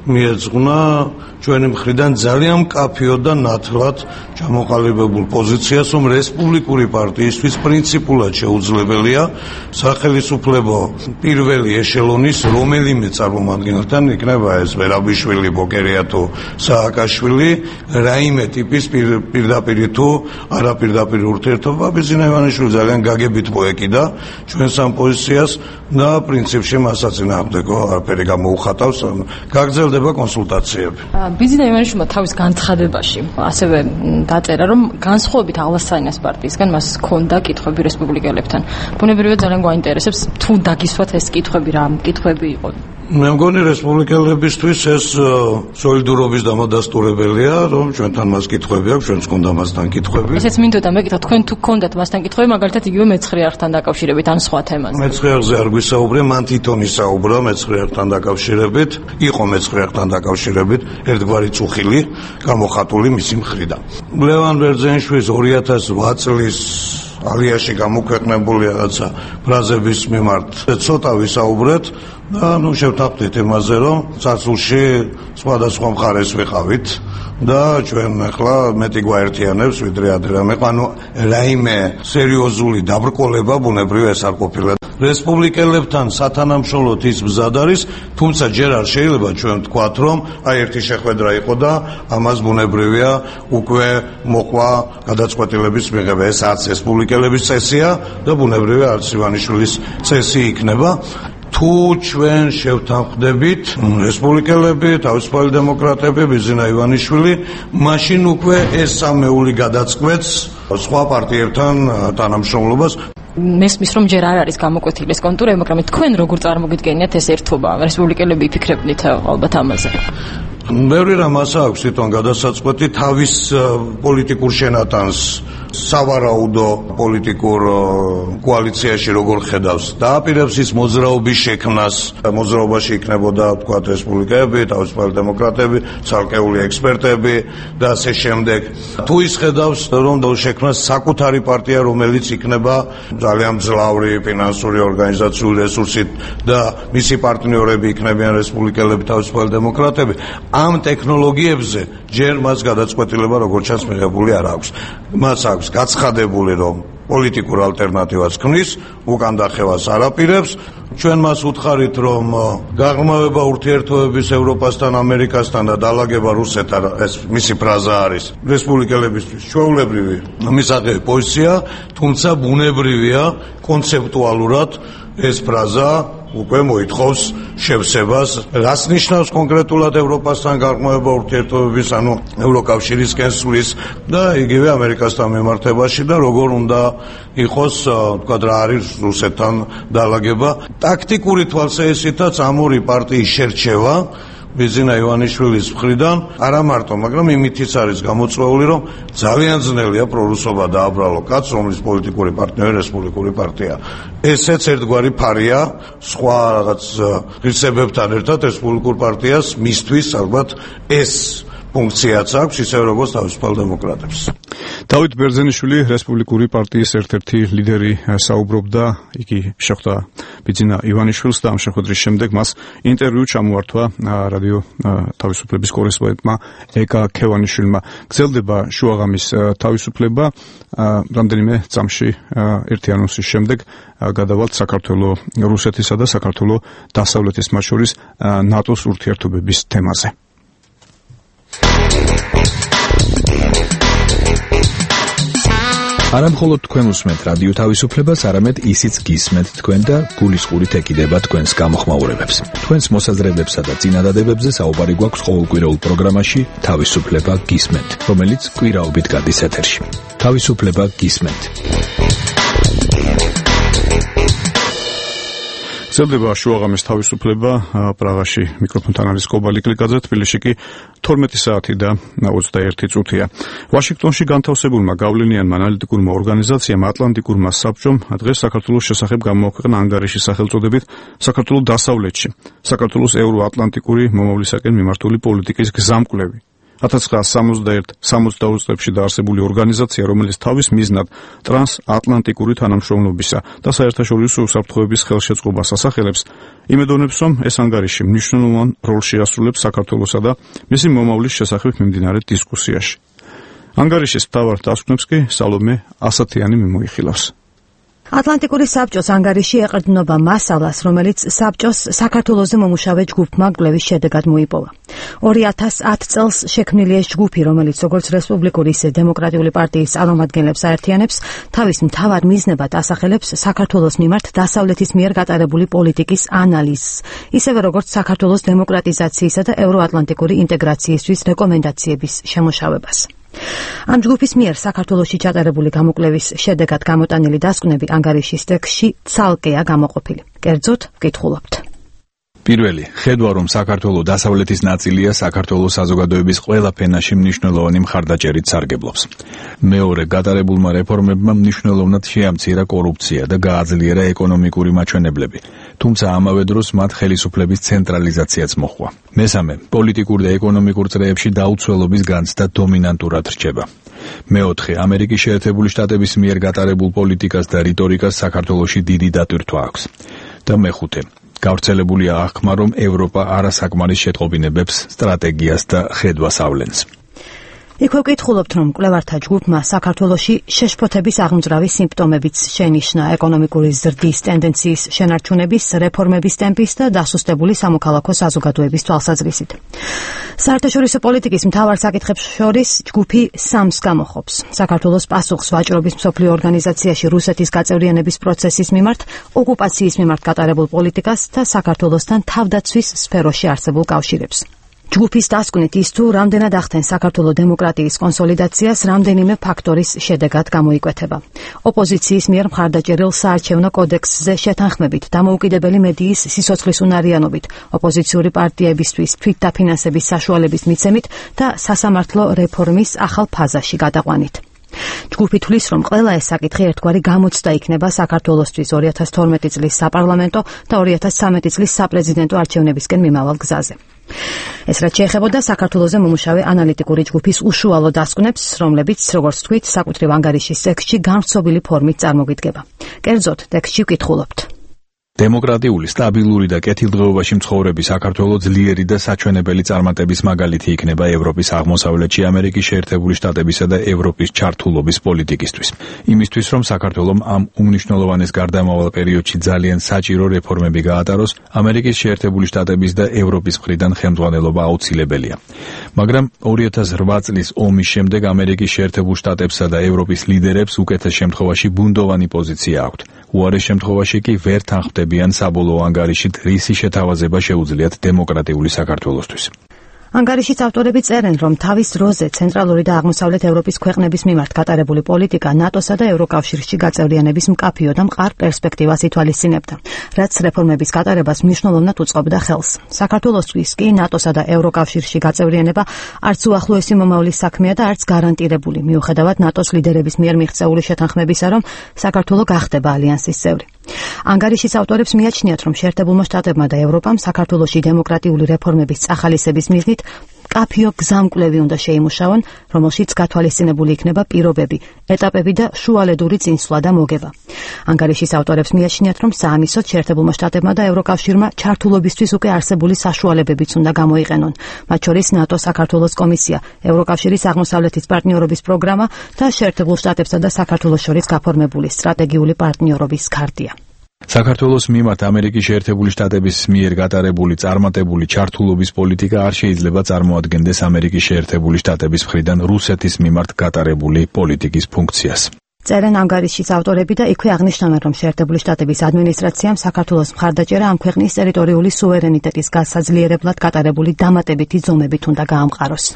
მიეძღვნა ჩვენი მხრიდან ძალიან მკაფიო და ნათლად ჩამოყალიბებულ პოზიციას, რომ რესპუბლიკური პარტიისთვის პრინციპულად შეუძლებელია სახელმწიფო პირველი ეშელონის რომელიმე წარმომადგენელთან, იქნება ეს ვერაბიშვილი, ბოკერია თუ სააკაშვილი, რაიმე ტიპის პირდაპირ თუ არაპირდაპირ ურთიერთობა. ბიძინა ივანიშვილი ძალიან გაგებით მოეკიდა ჩვენს ამ პოზიციას და პრინციპში მასაც წინააღმდეგო არაფერი გამოუხატავს, გაგრძელდება კონსულტაციები. ბიძინა ივანიშვილმა თავის განცხადებაში ასევე დაწერა, რომ განსხვავებით აღლასცინას პარტიისგან მას ჰქონდა კითხვები რესპუბლიკელებთან. ბუნებრივია ძალიან გვაინტერესებს თუ დაგისვათ ეს კითხვები, რა კითხვები იყო. მე მგონი რესპუბლიკელებისთვის ეს სოლიდურობის დამადასტურებელია, რომ ჩვენთან მას კითხვები აქვს, ჩვენც ჰქონდა მასთან კითხვები. ესეც მინდოდა მეკითხა, თქვენ თუ გქონდათ მასთან კითხვები, მაგალითად იგივე მეცხრე არხთან დაკავშირებით ან სხვა თემაზე. მეცხრე არხზე არ გვისაუბრე, მან თვითონ ისაუბრა მეცხრე არხთან დაკავშირებით, იყო მეცხრე არხთან დაკავშირებით ერთგვარი წუხილი გამოხატული მისი მხრიდან. ლევან ბერძენიშვილის ორი ათას ოთხ წლის ალიაში გამოქვეყნებული რაღაცა ფრაზების მიმართ ცოტა ვისაუბრეთ და ნუ შევთანხმდით იმაზე, რომ წარსულში სხვადასხვა მხარეს ვიყავით და ჩვენ ახლა მეტი გვაერთიანებს ვიდრე ადრე რამე, ანუ რაიმე სერიოზული დაბრკოლება ბუნებრივია ეს არ ყოფილა. რესპუბლიკელებთან სათანამშრომლოდ ის მზად არის, თუმცა ჯერ არ შეიძლება ჩვენ ვთქვათ, რომ აი ერთი შეხვედრა იყო და ამას ბუნებრივია უკვე მოყვა გადაწყვეტილების მიღება. ეს არც რესპუბლიკელების წესია და ბუნებრივია არც ივანიშვილის წესი იქნება. თუ ჩვენ შევთანხმდებით რესპუბლიკელები, თავისუფალი დემოკრატები, ბიძინა ივანიშვილი, მაშინ უკვე ეს სამეული გადაწყვეტს სხვა პარტიებთან თანამშრომლობას. მესმის რომ ჯერ არ არის გამოკვეთილი ეს კონტურები, მაგრამ თქვენ როგორ წარმოგიდგენიათ ეს ერთობა? რესპუბლიკელები იფიქრებდით ალბათ ამაზე. ბევრი რამას აქვს თვითონ გადასაწყვეტი თავის პოლიტიკურ შენატანს სავარაუდო პოლიტიკურ კოალიციაში როგორ ხედავს და აპირებს ის მოძრაობის შექმნას. მოძრაობაში იქნებოდა თქვა რესპუბლიკელები, თავისუფალი დემოკრატები, ცალკეული ექსპერტები და ასე შემდეგ. თუ ის ხედავს რომ შექმნას საკუთარი პარტია, რომელიც იქნება ძალიან მძლავრი ფინანსური ორგანიზაციული რესურსით და მისი პარტნიორები იქნებიან რესპუბლიკელები, თავისუფალი დემოკრატები, ამ ტექნოლოგიებზე ჯერ მას გადაწყვეტილება როგორც ჩანს მიღებული არ აქვს. მას აქვს გაცხადებული, რომ პოლიტიკურ ალტერნატივას ქმნის, უკან დახევას არ აპირებს. ჩვენ მას უთხარით, რომ გაღრმავება ურთიერთობების ევროპასთან, ამერიკასთან და დალაგება რუსეთთან, ეს მისი ფრაზა არის რესპუბლიკელებისთვის ჩვეულებრივი მისაღები პოზიცია, თუმცა ბუნებრივია კონცეპტუალურად ეს ფრაზა უკვე მოითხოვს შევსებას. რას ნიშნავს კონკრეტულად ევროპასთან გაღრმავება ურთიერთობების, ანუ ევროკავშირისკენ სვლის და იგივე ამერიკასთან მიმართებაში და როგორ უნდა იყოს, თქვა რა არის რუსეთთან დალაგება. ტაქტიკური თვალსაჩინოთაც ამ ორი პარტიის შერჩევა ბიზინა ივანიშვილის მხრიდან არა მარტო, მაგრამ იმითიც არის გამოწვეული, რომ ძალიან ძნელია პრორუსობა დააბრალო კაცს, რომლის პოლიტიკური პარტნიორი რესპუბლიკური პარტია. ესეც ერთგვარი ფარია სხვა რაღაც ღირსებებთან ერთად რესპუბლიკურ პარტიას მისთვის ალბათ ეს ფუნქციაც აქვს, ისე როგორც თავისუფალ დემოკრატებს. დავით ბერძენიშვილი, რესპუბლიკური პარტიის ერთ-ერთი ლიდერი, საუბრობდა, იგი შეხვდა ბიძინა ივანიშვილს და ამ შეხვედრის შემდეგ მას ინტერვიუ ჩამოართვა რადიო თავისუფლების კორესპონდენტმა ეკა ქევანიშვილმა. გრძელდება შუაღამის თავისუფლება, რამდენიმე წამში ერთი ანონსის შემდეგ გადავალთ საქართველოს, რუსეთისა და საქართველოს დასავლეთის მათ შორის ნატოს ურთიერთობების თემაზე. არა მხოლოდ თქვენ უსმენთ რადიო თავისუფლებას, არამედ ისიც გისმენთ თქვენ და გულისყურით ეკიდება თქვენს გამოხმაურებებს. თქვენს მოსაზრებებსა და წინადადებებზე საუბარი გვაქვს ყოველკვირეულ პროგრამაში თავისუფლება გისმენთ, რომელიც კვირაობით გადის ეთერში. თავისუფლება გისმენთ. გრძელდება შუაღამის თავისუფლება, პრაღაში მიკროფონთან არის კობალი კლიკაძე, თბილისში კი თორმეტი საათი და ოცდაერთი წუთია. ვაშინგტონში განთავსებულმა გავლენიანმა ანალიტიკურმა ორგანიზაციამ ატლანტიკურმა საბჭომ დღეს საქართველოს შესახებ გამოაქვეყნა ანგარიში სახელწოდებით საქართველოს დასავლეთში, საქართველოს ევროატლანტიკური მომავლისაკენ მიმართული პოლიტიკის გზამკვლევი. ათას ცხრაასი სამოცდაერთი სამოცდაოთხ წლებში დაარსებული ორგანიზაცია, რომელიც თავის მიზნად ტრანსატლანტიკური თანამშრომლობისა და საერთაშორისო უსაფრთხოების ხელშეწყობას ასახელებს, იმედოვნებს, რომ ეს ანგარიში მნიშვნელოვან როლს შეასრულებს საქართველოსა და მისი მომავლის შესახებ მიმდინარე დისკუსიაში. ანგარიშის მთავარ დასკვნებს კი სალომე ასათიანი მიმოიხილავს. ატლანტიკური საბჭოს ანგარიში ეყრდნობა მასალას, რომელიც საბჭოს საქართველოზე მომუშავე ჯგუფმა კვლევის შედეგად მოიპოვა. ორი ათას ათი წელს შექმნილი ეს ჯგუფი, რომელიც როგორც რესპუბლიკური, ისე დემოკრატიული პარტიის წარმომადგენლებს აერთიანებს, თავის მთავარ მიზნებად ასახელებს საქართველოს მიმართ დასავლეთის მიერ გატარებული პოლიტიკის ანალიზს, ისევე როგორც საქართველოს დემოკრატიზაციისა და ევროატლანტიკური ინტეგრაციისთვის რეკომენდაციების შემოშავებას. ამ ჯგუფის მიერ საქართველოში ჩატარებული გამოკვლევის შედეგად გამოტანილი დასკვნები ანგარიშის ტექსტში ცალკეა გამოყოფილი. კერძოდ ვკითხულობთ. პირველი, ხედვა რომ საქართველოს დასავლეთის ნაწილია საქართველოს საზოგადოების ყველა ფენაში მნიშვნელოვანი მხარდაჭერით სარგებლობს. მეორე, გატარებულმა რეფორმებმა მნიშვნელოვნად შეამცირა კორუფცია და გააძლიერა ეკონომიკური მაჩვენებლები, თუმცა ამავე დროს მათ ხელისუფლების ცენტრალიზაციაც მოჰყვა. მესამე, პოლიტიკურ და ეკონომიკურ წრეებში დაუცველობის განცდა დომინანტურად რჩება. მეოთხე, ამერიკის შეერთებული შტატების მიერ გატარებულ პოლიტიკას და რიტორიკას საქართველოში დიდი დატვირთვა აქვს. და მეხუთე, გავრცელებულია აღქმა, რომ ევროპა არასაკმარის შეტყობინებებს, სტრატეგიას და ხედვას ავლენს. იქვე ვკითხულობთ, რომ კვლევართა ჯგუფმა საქართველოში შეშფოთების აღმძრავი სიმპტომებიც შენიშნა ეკონომიკური ზრდის ტენდენციის შენარჩუნების, რეფორმების ტემპის და დასუსტებული სამოქალაქო საზოგადოების თვალსაზრისით. საერთაშორისო პოლიტიკის მთავარ საკითხებს შორის ჯგუფი სამს გამოხობს: საქართველოს პასუხს ვაჭრობის მსოფლიო ორგანიზაციაში რუსეთის გაწევრიანების პროცესის მიმართ, ოკუპაციის მიმართ გატარებულ პოლიტიკას და საქართველოსთან თავდაცვის სფეროში არსებულ კავშირებს. ჯგუფის დასკვნით ის თუ რამდენად ახდენს საქართველოს დემოკრატიის კონსოლიდაციას, რამდენიმე ფაქტორის შედეგად გამოიკვეთება. ოპოზიციის მიერ მხარდაჭერილ საარჩევნო კოდექსზე შეთანხმებით, დამოუკიდებელი მედიის სიცოცხლის უნარიანობით, ოპოზიციური პარტიებისთვის თვითდაფინანსების საშუალების მიცემით და სასამართლო რეფორმის ახალ ფაზაში გადაყვანით. ჯგუფი თვლის, რომ ყველა ეს საკითხი ერთგვარი გამოცდა იქნება საქართველოსთვის ორი ათას თორმეტი წლის საპარლამენტო და ორი ათას ცხრამეტი წლის საპრეზიდენტო არჩევნებისკენ მიმავალ გზაზე. ეს რაც შეეხებოდა საქართველოზე მომუშავე ანალიტიკური ჯგუფის უშუალო დასკვნებს, რომლებიც, როგორც თქვით, საკუთრივ ანგარიშის ტექსტში განვრცობილი ფორმით წარმოგვიდგება. კერძოდ, ტექსტში ვკითხულობთ. დემოკრატიული, სტაბილური და კეთილდღეობაში მცხოვრები საქართველო ძლიერი და საჩვენებელი წარმატების მაგალითი იქნება ევროპის აღმოსავლეთში ამერიკის შეერთებული შტატებისა და ევროპის ჩართულობის პოლიტიკისთვის. იმისთვის, რომ საქართველომ ამ უმნიშვნელოვანეს გარდამავალ პერიოდში ძალიან საჭირო რეფორმები გაატაროს, ამერიკის შეერთებული შტატების და ევროპის მხრიდან ხელმძღვანელობა აუცილებელია. მაგრამ ორი ათას რვა წლის ომის შემდეგ ამერიკის შეერთებულ შტატებსა და ევროპის ლიდერებს უკეთეს შემთხვევაში ბუნდოვანი პოზიცია აქვთ. უარეს შემთხვევაში კი ვერ თანხმდებიან საბოლოო ანგარიშით რისი შეთავაზება შეუძლიათ დემოკრატიული საქართველოსთვის. ანგარიშის ავტორები წერენ, რომ თავის დროზე ცენტრალური და აღმოსავლეთ ევროპის ქვეყნების მიმართ გატარებული პოლიტიკა ნატოსა და ევროკავშირში გაწევრიანების მკაფიო და მყარ პერსპექტივას ითვალისწინებდა, რაც რეფორმების გატარებას მნიშვნელოვნად უწყობდა ხელს. საქართველოსთვის კი ნატოსა და ევროკავშირში გაწევრიანება არც უახლოესი მომავლის საქმეა და არც გარანტირებული, მიუხედავად ნატოს ლიდერების მიერ მიღწეული შეთანხმებისა, რომ საქართველო გახდება ალიანსის წევრი. ანგარიშის ავტორებს მიაჩნიათ, რომ შეერთებულმა შტატებმა და ევროპამ საქართველოში დემოკრატიული რეფორმების წახალისების მიზნით მკაფიო გზამკვლევი უნდა შეიმუშაონ, რომელშიც გათვალისწინებული იქნება პირობები, ეტაპები და შუალედური წინსვლა და მოგება. ანგარიშის ავტორებს მიაჩნიათ, რომ საამისოდ შეერთებულმა შტატებმა და ევროკავშირმა ჩართულობისთვის უკვე არსებული საშუალებებიც უნდა გამოიყენონ, მათ შორის ნატო საქართველოს კომისია, ევროკავშირის აღმოსავლეთის პარტნიორობის პროგრამა და შეერთებულ შტატებსა და საქართველოს შორის გაფორმებული სტრატეგიული პარტნიორობის ქარტია. საქართველოს მიმართ ამერიკის შეერთებული შტატების მიერ გატარებული წარმატებული ჩართულობის პოლიტიკა არ შეიძლება წარმოადგენდეს ამერიკის შეერთებული შტატების მხრიდან რუსეთის მიმართ გატარებული პოლიტიკის ფუნქციას. წერენ ანგარიშის ავტორები და იქვე აღნიშნავენ, რომ შეერთებული შტატების ადმინისტრაციამ საქართველოს მხარდაჭერა ამ ქვეყნის ტერიტორიული სუვერენიტეტის გასაძლიერებლად გატარებული დამატებითი ზომებით უნდა გაამყაროს.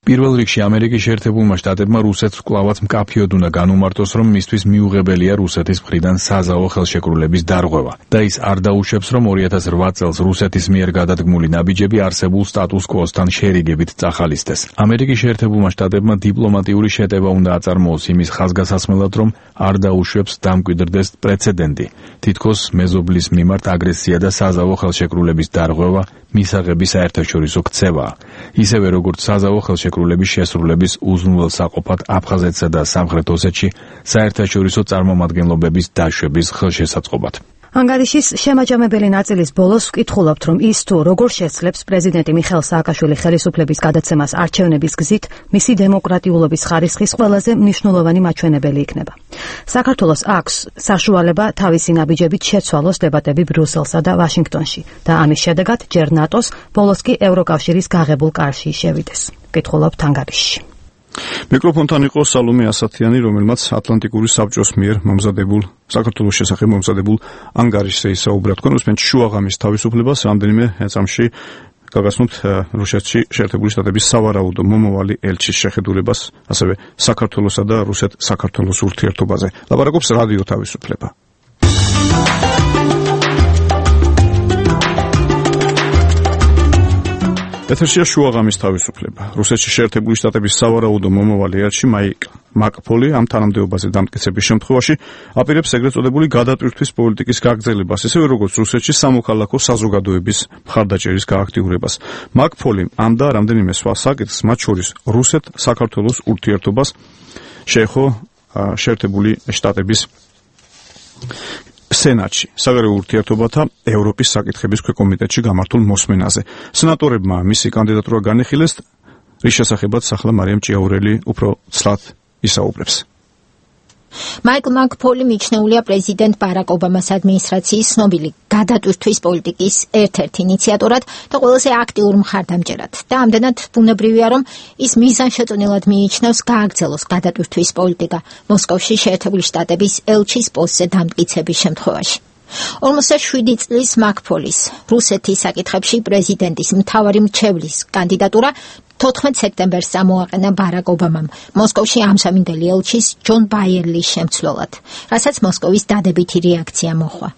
პირველ რიგში ამერიკის შეერთებულმა შტატებმა რუსეთს კვლავაც მკაფიოდ უნდა განუმარტოს, რომ მისთვის მიუღებელია რუსეთის მხრიდან საზავო ხელშეკრულების დარღვევა და ის არ დაუშვებს, რომ ორი ათას რვა წელს რუსეთის მიერ გადადგმული ნაბიჯები არსებულ სტატუს კვოსთან შერიგებით წახალისდეს. ამერიკის შეერთებულმა შტატებმა დიპლომატიური შეტევა უნდა აწარმოოს იმის ხაზგასაცმელად, რომ არ დაუშვებს დამკვიდრდეს პრეცედენტი, თითქოს მეზობლის მიმართ აგრესია და საზავო ხელშეკრულების დარღვევა მისაღების საერთაშორისო ქცევაა. ისევე როგორც საზავო ხელშეკრულების შესრულების უზრუნველსაყოფად აფხაზეთსა და სამხრეთ ოსეთში საერთაშორისო წარმომადგენლობების დაშვების ხელშესაწყობად. ანგარიშის შემაჯამებელი ნაწილის ბოლოს ვკითხულობთ, რომ ის თუ როგორ შეცლებს პრეზიდენტი მიხეილ სააკაშვილი ხელისუფლების გადაცემას არჩევნების გზით, მისი დემოკრატიულობის ხარისხის ყველაზე მნიშვნელოვანი მაჩვენებელი იქნება. საქართველოს აქვს საშუალება თავისი ნაბიჯებით შეცვალოს დებატები ბრიუსელსა და ვაშინგტონში და ამის შედეგად ჯერ ნატოს, ბოლოს კი ევროკავშირის გაღებულ კარში შევიდეს. ვკითხულობთ ანგარიშში. მიკროფონთან იყო სალომე ასათიანი, რომელმაც ატლანტიკური საბჭოს მიერ მომზადებულ საქართველოს შესახებ მომზადებულ ანგარიშზე ისაუბრა. თქვენ უსმენთ შუაღამის თავისუფლებას, რამდენიმე წამში გაგაცნობთ რუსეთში შეერთებული შტატების სავარაუდო მომავალი ელჩის შეხედულებას, ასევე საქართველოსა და რუსეთ-საქართველოს ურთიერთობაზე. ლაპარაკობს რადიო თავისუფლება. ეთერშია შუაღამის თავისუფლება. რუსეთში შეერთებული შტატების სავარაუდო მომავალი ელჩი მაიკ მაკფოლი ამ თანამდებობაზე დამტკიცების შემთხვევაში აპირებს ეგრეთ წოდებული გადატვირთვის პოლიტიკის გაგრძელებას, ისევე როგორც რუსეთში სამოქალაქო საზოგადოების მხარდაჭერის გააქტიურებას. მაკფოლი ამ და რამდენიმე სხვა საკითხს, მათ შორის რუსეთ-საქართველოს ურთიერთობას შეეხო შეერთებული შტატების სენატში, საგარეო ურთიერთობათა ევროპის საკითხების ქვეკომიტეტში გამართულ მოსმენაზე. სენატორებმა მისი კანდიდატურა განიხილეს, რის შესახებაც ახლა მარიამ ჭიაურელი უფრო ცლად ისაუბრებს. მაიკლ მაკფოლი მიჩნეულია პრეზიდენტ ბარაკ ობამას ადმინისტრაციის ცნობილი გადატვირთვის პოლიტიკის ერთ-ერთ ინიციატორად და ყველაზე აქტიურ მხარდამჭერად. და ამდენად ბუნებრივია, რომ ის მიზანშეწონილად მიიჩნევს გააგრძელოს გადატვირთვის პოლიტიკა მოსკოვში შეერთებული შტატების ელჩის პოსტზე დამტკიცების შემთხვევაში. ორმოცდაშვიდი წლის მაკფოლის რუსეთის საკითხებში პრეზიდენტის მთავარი მრჩევლის კანდიდატურა თოთხმეტ სექტემბერს წამოაყენა ბარაკ ობამამ მოსკოვში ამსამინდელი ელჩის ჯონ ბაიერლის შემცვლელად, რასაც მოსკოვის დადებითი რეაქცია მოჰყვა.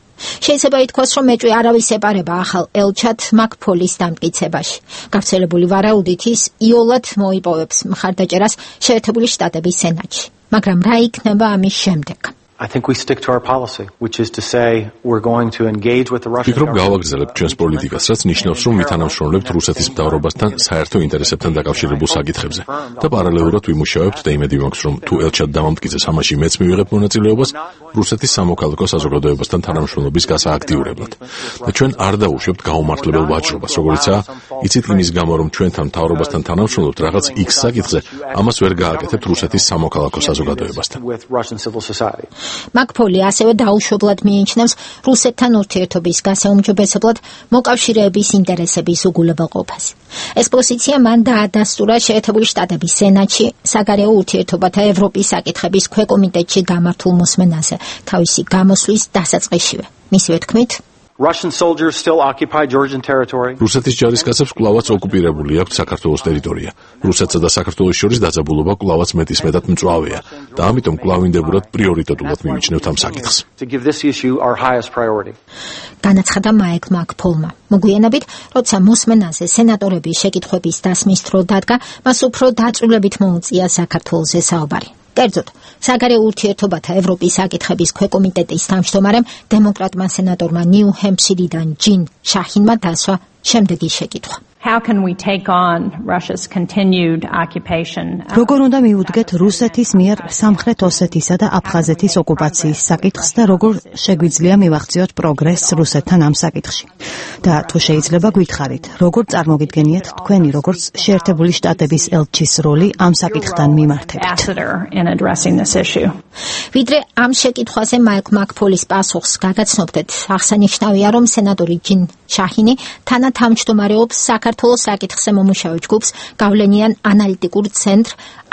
შეიძლება ითქვას, რომ ეჭვი არავის ეპარება ახალ ელჩად მაკფოლის დამტკიცებაში. გავრცელებული ვარაუდით ის იოლად მოიპოვებს მხარდაჭერას შეერთებული შტატების სენატში. მაგრამ რა იქნება ამის შემდეგ? I think we stick to our policy, which is to say we're going to engage with the Russian government. გავაგრძელებთ ჩვენს პოლიტიკას, რაც ნიშნავს, რომ მითანამშრომლებთ რუსეთის მთავრობასთან საერთო ინტერესებთან დაკავშირებულ საკითხებზე და პარალელურად ვიმუშავებთ და იმედი მაქვს, რომ თუ ელჩად დამამტკიცეს ამაში მეც მივიღებ მონაწილეობას რუსეთის სამოქალაქო საზოგადოებასთან თანამშრომლობის გასააქტიურებლად. და ჩვენ არ დაუშვებთ გაუმართლებელ ვაჭრობას, როგორიცაა, იცით იმის გამო, რომ ჩვენთან მთავრობასთან თანამშრომლობთ რაღაც X საკითხზე, ამას ვერ გააკეთებთ რუსეთის სამოქალაქო საზოგადოებასთან. მაკ-ფოლი ასევე დაუშვებლად მიიჩნევს რუსეთთან ურთიერთობის გასაუმჯობესებლად მოკავშირეების ინტერესების უგულებელყოფას. ეს პოზიცია მან დაადასტურა შეერთებული შტატების სენატში საგარეო ურთიერთობათა ევროპის საკითხების ქვეკომიტეტში გამართულ მოსმენაზე თავისი გამოსვლის დასაწყისშივე. მისივე თქმით, Russian soldiers still occupy Georgian territory. რუსეთის ჯარისკაცებს კვლავაც ოკუპირებული აქვს საქართველოს ტერიტორია. რუსეთსა და საქართველოს შორის დაძაბულობა კვლავაც მეტისმეტად მწვავეა და ამიტომ კვლავინდებურად პრიორიტეტულად მივიჩნევთ ამ საკითხს. To give this issue our highest priority. განაცხადა მაიკლ მაკ-ფოლმა. მოგვიანებით, როცა მოსმენაზე სენატორების შეკითხვების დასმის დრო დადგა, მას უფრო დაწვრილებით მოუწია საქართველოს საუბარი. კერძოდ, საგარეო ურთიერთობათა ევროპის საკითხების ქვეკომიტეტის თავმჯდომარემ დემოკრატმა სენატორმა ნიუ-ჰემფშირიდან ჯინ შაჰინმა დასვა შემდეგი შეკითხვა. How can we take on Russia's continued occupation? როგორ უნდა მივუდგეთ რუსეთის მიერ სამხრეთ ოსეთისა და აფხაზეთის ოკუპაციის საკითხს და როგორ შეგვიძლია მივახციოთ პროგრესს რუსეთთან ამ საკითხში? და თუ შეიძლება გითხარით, როგორ წარმოგიდგენიათ თქვენი როგორც შეერთებული შტატების ელჩის როლი ამ საკითხთან მიმართებით? ვიდრე ამ შეკითხვაზე მაიკლ მაკ-ფოლის პასუხს გაგაცნობდეთ, აღსანიშნავია, რომ სენატორი ჯინ შაჰინი თანათავმჯდომარეობს საქართველოს საკითხზე მომუშავე ჯგუფს გავლენიან ანალიტიკურ ცენტრ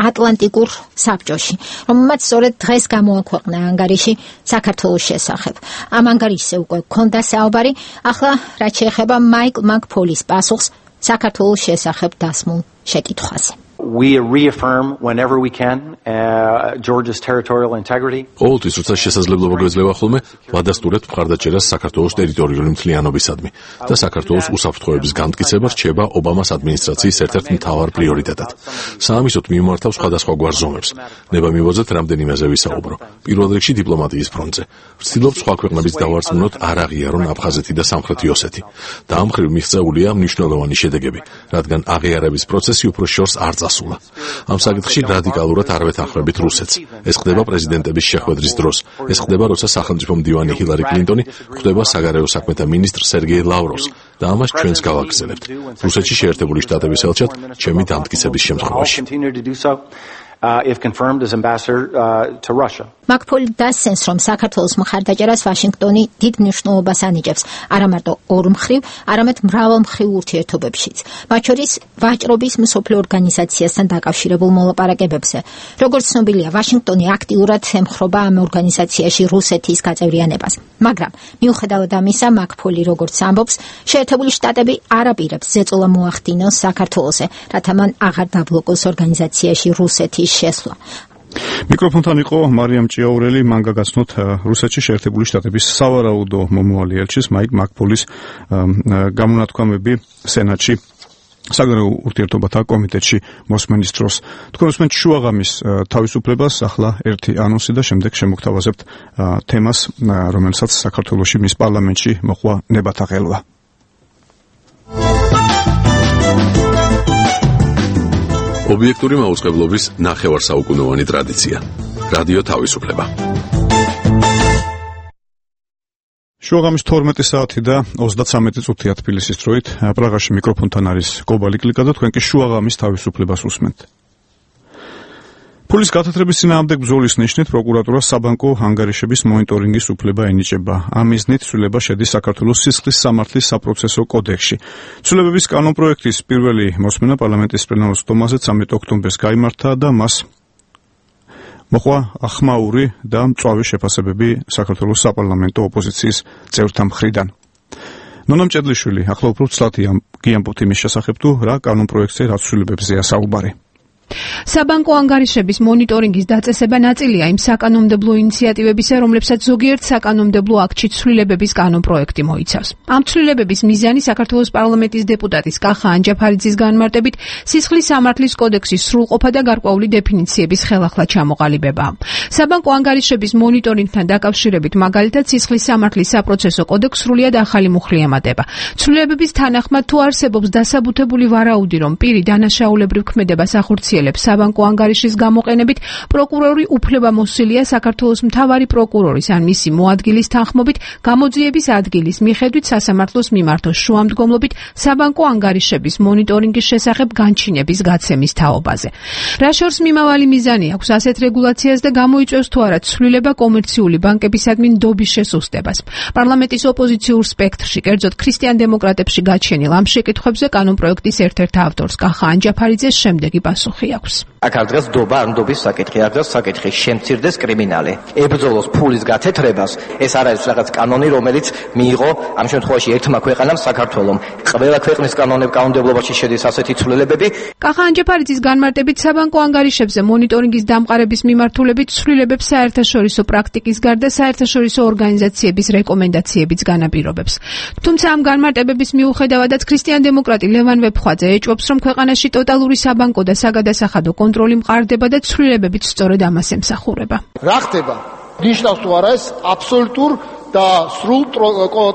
ატლანტიკურ საბჭოში, რომელმაც სწორედ დღეს გამოაქვეყნა ანგარიში საქართველოს შესახებ. ამ ანგარიშზე უკვე გქონდა საუბარი, ახლა რაც შეეხება მაიკლ მაკ-ფოლის პასუხს საქართველოს შესახებ დასმულ შეკითხვაზე. We reaffirm whenever we can uh, Georgia's territorial integrity. ყოველთვის როცა შესაძლებლობა გვეძლევა ხოლმე, ვადასტურებთ მხარდაჭერას საქართველოს ტერიტორიული მთლიანობისადმი და საქართველოს უსაფრთხოების განმტკიცება რჩება ობამას ადმინისტრაციის ერთ-ერთ მთავარ პრიორიტეტად. საამისოდ მიმართავს სხვადასხვა გვარ ზომებს. ნება მივოძეთ რამდენიმეზე ვისაუბრო. პირველ რიგში დიპლომატიის ფრონტზე. ვცდილობ სხვა ქვეყნების დავარწმუნოთ არ აღიარონ აფხაზეთი და სამხრეთი ოსეთი. და ამ მხრივ მიღწეულია მნიშვნელოვანი შედეგები, რადგან აღიარების პროცესი უფრო შორს არ წასულა. ამ საკითხში რადიკალურად არ ვეთანხმებით რუსეთს. ეს ხდება პრეზიდენტების შეხვედრის დროს. ეს ხდება, როცა სახელმწიფო მდივანი ჰილარი კლინტონი ხვდება საგარეო საქმეთა მინისტრ სერგეი ლავროვს და ამას ჩვენს გავაგრძელებთ. რუსეთში შეერთებული შტატების ელჩად ჩემი დამტკიცების შემთხვევაში. Uh, if confirmed as ambassador uh, to Russia. მაკ-ფოლი დასცენს, რომ საქართველოს მხარდაჭერას ვაშინგტონი დიდ მნიშვნელობას ანიჭებს არა მარტო ორმხრივ, არამედ მრავალმხრივ ურთიერთობებშიც, მათ შორის ვაჭრობის მსოფლიო ორგანიზაციასთან დაკავშირებულ მოლაპარაკებებზე. როგორც ცნობილია, ვაშინგტონი აქტიურად ემხრობა ამ ორგანიზაციაში რუსეთის გაწევრიანებას. მაგრამ მიუხედავად ამისა, მაკ-ფოლი როგორც ამბობს, შეერთებული შტატები არ აპირებს ზეწოლა მოახდინოს საქართველოზე, რათა მან აღარ დაბლოკოს ორგანიზაციაში რუსეთის შესვლა. მიკროფონთან იყო მარიამ ჭიაურელი, მან გაგაცნოთ რუსეთში შეერთებული შტატების სავარაუდო მომავალი ელჩის მაიკ მაკ-ფოლის გამონათქვამები სენატში საგარეო ურთიერთობათა კომიტეტში მოსმენის დროს. თქვენ უსმენთ შუაღამის თავისუფლებას, ახლა ერთი ანონსი და შემდეგ შემოგთავაზებთ თემას, რომელსაც საქართველოში მის პარლამენტში მოხვა ნებათა ხელვა. ობიექტური მაუწყებლობის ნახევარსაუკუნოვანი ტრადიცია. რადიო თავისუფლება. შუაღამის თორმეტი საათი და ოცდაცამეტი წუთია თბილისის დროით. პრაღაში მიკროფონთან არის კობალი კლიკა და თქვენ კი შუაღამის თავისუფლებას უსმენთ. Pulis გათათრების წინააღმდეგ ბრძოლის ნიშნით პროკურატურა საბანკო ანგარიშების მონიტორინგის უფლება ენიჭება. ამ მიზნით ცვლილება შედის საქართველოს სისხლის სამართლის საპროცესო კოდექსში. ცვლილებების კანონპროექტის პირველი მოსმენა პარლამენტის პლენარულ სტომაზე ცამეტი ოქტომბერს გაიმართა და მას მოყვა ახმაური და მწვავე შეფასებები საქართველოს საპარლამენტო ოპოზიციის წევრთა მხრიდან. ნონა მჭედლიშვილი ახლა უფრო ცლად გიამბობთ იმის შესახებ თუ რა კანონპროექტზე რა ცვლილებებზეა საუბარი. საბანკო ანგარიშების მონიტორინგის დაწესება ნაწილია იმ საკანონმდებლო ინიციატივებისა, რომლებსაც ზოგიერთ საკანონმდებლო აქტში ცვლილებების კანონპროექტი მოიცავს. ამ ცვლილებების მიზანი საქართველოს პარლამენტის დეპუტატის კახა ანჯაფარიძის განმარტებით სისხლის სამართლის კოდექსის სრულყოფა და გარკვეული დეფინიციების ხელახლა ჩამოყალიბებაა. საბანკო ანგარიშების მონიტორინგთან დაკავშირებით მაგალითად სისხლის სამართლის საპროცესო კოდექსს სრულიად ახალი მუხლი ემატება. ცვლილებების თანახმად თუ არსებობს დასაბუთებული ვარაუდი, რომ პირი დანაშაულებრივ ქმედებას ახორციელებს საბანკო ანგარიშის გამოყენებით, პროკურორი უფლებამოსილია საქართველოს მთავარი პროკურორის ან მისი მოადგილის თანხმობით გამოძიების ადგილის მიხედვით სასამართლოს მიმართოს შუამდგომლობით საბანკო ანგარიშების მონიტორინგის შესახებ განჩინების გაცემის თაობაზე. რა შორს მიმავალი მიზანი აქვს ასეთ რეგულაციას და გამოიწვევს თუ არა ცვლილება კომერციული ბანკებისადმი ნდობის შესუსტებას. პარლამენტის ოპოზიციურ სპექტრში, კერძოდ ქრისტიან დემოკრატებში გაჩენილ ამ შეკითხვებზე კანონპროექტის ერთ-ერთ ავტორს კახა ანჯაფარიძეს შემდეგი პასუხი აქვს. აქ არ დღეს დობა არ ნდობის საკითხი, არ დღეს საკითხი შემცირდეს კრიმინალი. ებრძოლოს ფულის გათეთრებას, ეს არ არის რაღაც კანონი, რომელიც მიიღო ამ შემთხვევაში ერთმა ქვეყანამ საქართველომ. ყველა ქვეყნის კანონმდებლობაში შედის ასეთი ცვლილებები. კახა ანჯაფარიძის განმარტებით საბანკო ანგარიშებზე მონიტორინგის დამყარების მიმართულებით ცვლილებებს საერთაშორისო პრაქტიკის გარდა საერთაშორისო ორგანიზაციების რეკომენდაციებიც განაპირობებს. თუმცა ამ განმარტებების მიუხედავადაც ქრისტიან დემოკრატი ლევან ვეფხვაძე ეჭვობს, რომ ქვეყანაში ტოტალური საბანკო და საგადასახადო კონტროლი მყარდება და ცვლილებებიც სწორედ ამას ემსახურება. რა ხდება? ნიშნავს თუ არა ეს აბსოლუტურ და სრულ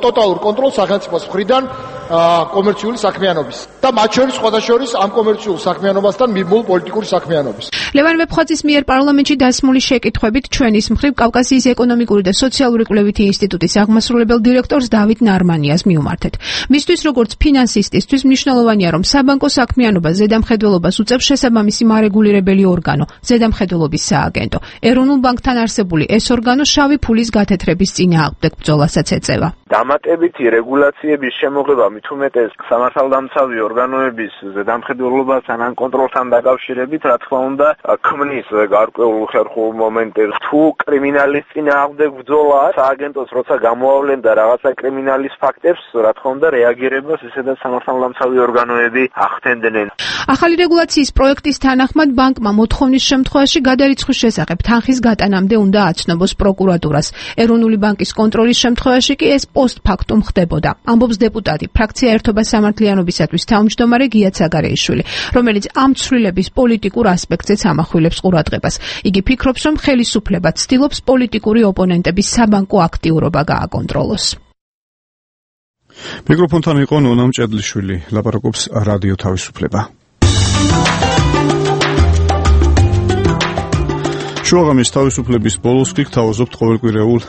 ტოტალურ კონტროლს სახელმწიფოს მხრიდან კომერციული საქმიანობის და მათ შორის სხვადასხვა ამ კომერციულ საქმიანობასთან მიმოულ პოლიტიკური საქმიანობის. ლევან ვეფხვაძის მიერ პარლამენტში დასმული შეკითხვებით ჩვენის მხრივ კავკასიის ეკონომიკური და სოციალური კვლევითი ინსტიტუტის აღმასრულებელ დირექტორს დავით ნარმანიას მიუმართეთ. მისთვის როგორც ფინანსისტისთვის მნიშვნელოვანია, რომ საბანკო საქმიანობა ზედამხედველობას უწევს შესაბამისი მარეგულირებელი ორგანო, ზედამხედველობის სააგენტო. ეროვნულ ბანკთან არსებული ეს ორგანო შავი ფულის გათეთრების წინააღმდეგ ბრძოლასაც ეწევა. დამატებითი რეგულაციების შემოღება მით უმეტეს სამართალდამცავი ორგანოების ზედამხედველობასთან ან კონტროლთან დაკავშირებით, რა თქმა უნდა, ქმნის გარკვეულ ხერხულ მომენტებს. თუ კრიმინალის წინააღმდეგ ბრძოლა, სააგენტოს როცა გამოავლენ და რაღაცა კრიმინალის ფაქტებს, რა თქმა უნდა, რეაგირებას ისედაც სამართალდამცავი ორგანოები ახდენდნენ. ახალი რეგულაციის პროექტის თანახმად ბანკმა მოთხოვნის შემთხვევაში გადარიცხვის შესახებ თანხის გატანამდე უნდა აცნობს პროკურატურას. ეროვნული ბანკის კონტროლის შემთხვევაში კი ეს პოსტფაქტუმ ხდებოდა. ამბობს დეპუტატი, ფრაქცია ერთობა სამართლიანობისათვის თავმჯდომარე გია ცაგარეიშვილი, რომელიც ამ ცვლილების პოლიტიკურ ასპექტზეც ამახვილებს ყურადღებას. იგი ფიქრობს, რომ ხელისუფლება ცდილობს პოლიტიკური ოპონენტების საბანკო აქტიურობა გააკონტროლოს. მიკროფონთან იყო ნონა მჭედლიშვილი, ლაპარაკობს რადიო თავისუფლება. შუაღამის თავისუფლების ბოლოს კი გთავაზობთ ყოველკვირეულ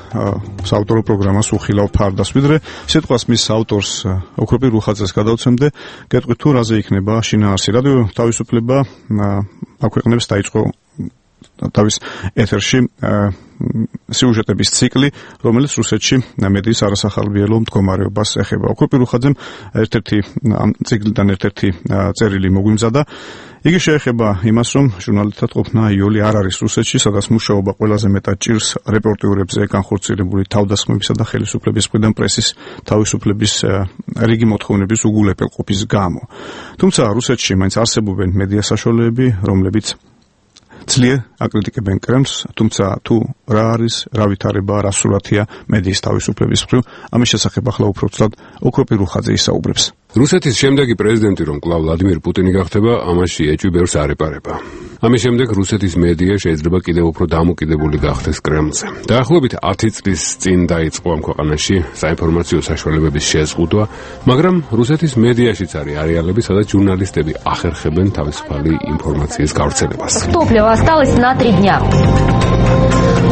საავტორო პროგრამას უხილავ ფარდას, ვიდრე სიტყვას მის ავტორს ოქროპირ რუხაძეს გადავცემდე, გეტყვით თუ რაზე იქნება შინაარსი. რადიო თავისუფლება აქვეყნებს დაიწყო თავის ეთერში სიუჟეტების ციკლი, რომელიც რუსეთში მედიის არასახალბიელო მდგომარეობას ეხება. ოქროპირ რუხაძემ ერთ-ერთი ამ ციკლიდან ერთ-ერთი წერილი მოგვიმზადა. იგი შეეხება იმას, რომ ჟურნალისტად ყოფნა იოლი არ არის რუსეთში, სადაც მუშაობა ყველაზე მეტად ჭირს რეპორტიურებზე განხორციელებული თავდასხმებისა და ხელისუფლების მხრიდან პრესის თავისუფლების რიგი მოთხოვნების უგულებელყოფის გამო. თუმცა რუსეთში მაინც არსებობენ მედია საშუალებები, რომლებიც ძლიერ აკრიტიკებენ კრემლს, თუმცა თუ რა არის, რა ვითარება, რა სურათია მედიის თავისუფლების მხრივ, ამის შესახებ ახლა უფრო ცუდად ოქროპირ რუხაძე ისაუბრებს. რუსეთის შემდეგი პრეზიდენტი რომ კვლავ ვლადიმირ პუტინი გახდება, ამაში ეჭვი ბევრს არ ეპარება. ამის შემდეგ რუსეთის მედია შეიძლება კიდევ უფრო დამოკიდებული გახდეს კრემლზე. დაახლოებით ათი წლის წინ დაიწყო ამ ქვეყანაში საინფორმაციო საშუალებების შეზღუდვა, მაგრამ რუსეთის მედიაშიც არის არეალები, სადაც ჟურნალისტები ახერხებენ თავისუფალი ინფორმაციის გავრცელებას. Топлива осталось на три дня.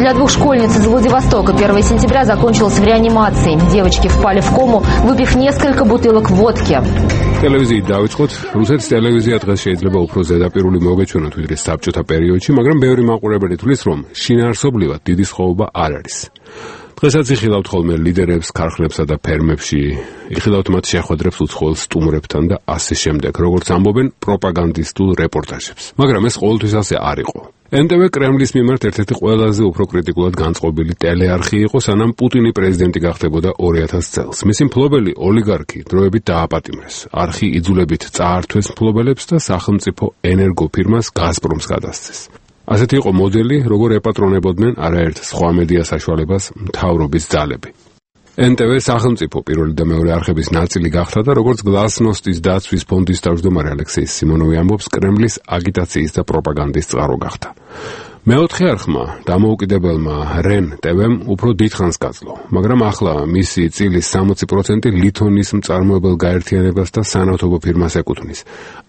Для двух школьниц из Владивостока первого сентября закончилось в реанимации. Девочки впали в кому, выпив несколько бутылок водки. ტელევიზიით დავიწყოთ. რუსეთის ტელევიზია დღეს შეიძლება უფრო ზედაპირული მოგეჩვენოთ ვიდრე საბჭოთა პერიოდში, მაგრამ ბევრი მაყურებელი თვლის, რომ შინაარსობრივად დიდი სხვაობა არ არის. დღესაც იხილავთ ხოლმე ლიდერებს ქარხნებსა და ფერმებში, იხილავთ მათ შეხვედრებს უცხოელ სტუმრებთან და ასე შემდეგ, როგორც ამბობენ პროპაგანდისტულ რეპორტაჟებს. მაგრამ ეს ყოველთვის ასე არ იყო. ენ ტე ვე კრემლის მიმართ ერთ-ერთი ყველაზე უფრო კრიტიკულად განწყობილი ტელეარხი იყო, სანამ პუტინი პრეზიდენტი გახდებოდა ორი ათას წელს. მისი მფლობელი ოლიგარქი დროებით დააპატიმრეს. არხი იძულებით წაართვეს მფლობელებს და სახელმწიფო ენერგოფირმას გაზპრომს გადასცეს. ასეთი იყო მოდელი, როგორ ეპატრონებოდნენ არაერთ სხვა მედია საშუალებას მთავრობის ძალები. ენ ტე ვე სახელმწიფო პირველი და მეორე არხების ნაწილი გახდა და როგორც გლასნოსტის დაცვის ფონდის თავმჯდომარე ალექსეი სიმონოვი ამბობს, კრემლის აგიტაციის და პროპაგანდის წყარო გახდა. მეოთხე არხმა, დამოუკიდებელმა რენ ტე ვემ უფრო დიდხანს გაძლო, მაგრამ ახლა მისი წილის სამოცი პროცენტი ლითონის მწარმოებელ გაერთიანებას და სანავთობო ფირმას ეკუთვნის.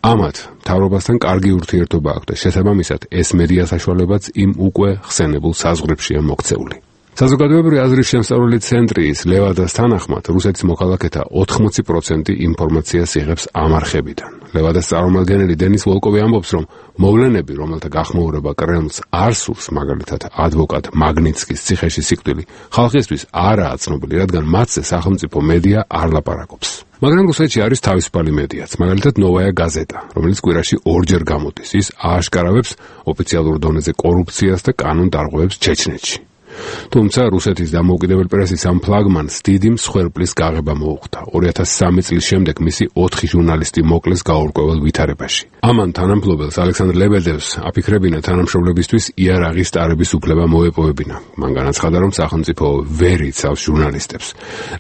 ამათ მთავრობასთან კარგი ურთიერთობა აქვს და შესაბამისად ეს მედია საშუალებაც იმ უკვე ხსენებულ საზღვრებშია მოქცეული. საზოგადოებრივი აზრის შემსწავლელი ცენტრის ლევადას თანახმად, რუსეთის მოქალაქეთა ოთხმოცი პროცენტი ინფორმაციას იღებს ამ არხებიდან. ლევადას წარმომადგენელი დენის ვოლკოვი ამბობს, რომ მოვლენები, რომელთა გახმოურება კრემლს არ სურს, მაგალითად ადვოკატ მაგნიცკის ციხეში სიკვდილი, ხალხისთვის არაა ცნობილი, რადგან მათზე სახელმწიფო მედია არ ლაპარაკობს. მაგრამ რუსეთში არის თავისუფალი მედიაც, მაგალითად ნოვაია გაზეტა, რომელიც კვირაში ორჯერ გამოდის. ის ააშკარავებს ოფიციალურ დონეზე კორუფციას და კანონდარღვევებს ჩეჩნეთში. თუმცა რუსეთის დამოუკიდებელ პრესის ამ ფლაგმანს დიდი მსხვერპლის გაღება მოუხდა. ორი ათას სამი წლის შემდეგ მისი ოთხი ჟურნალისტი მოკლეს გაურკვეველ ვითარებაში. ამან თანამფლობელს ალექსანდრ ლებედევს აფიქრებინა თანამშრომლებისთვის იარაღის ტარების უფლება მოეპოვებინა. მან განაცხადა, რომ სახელმწიფო ვერ იცავს ჟურნალისტებს.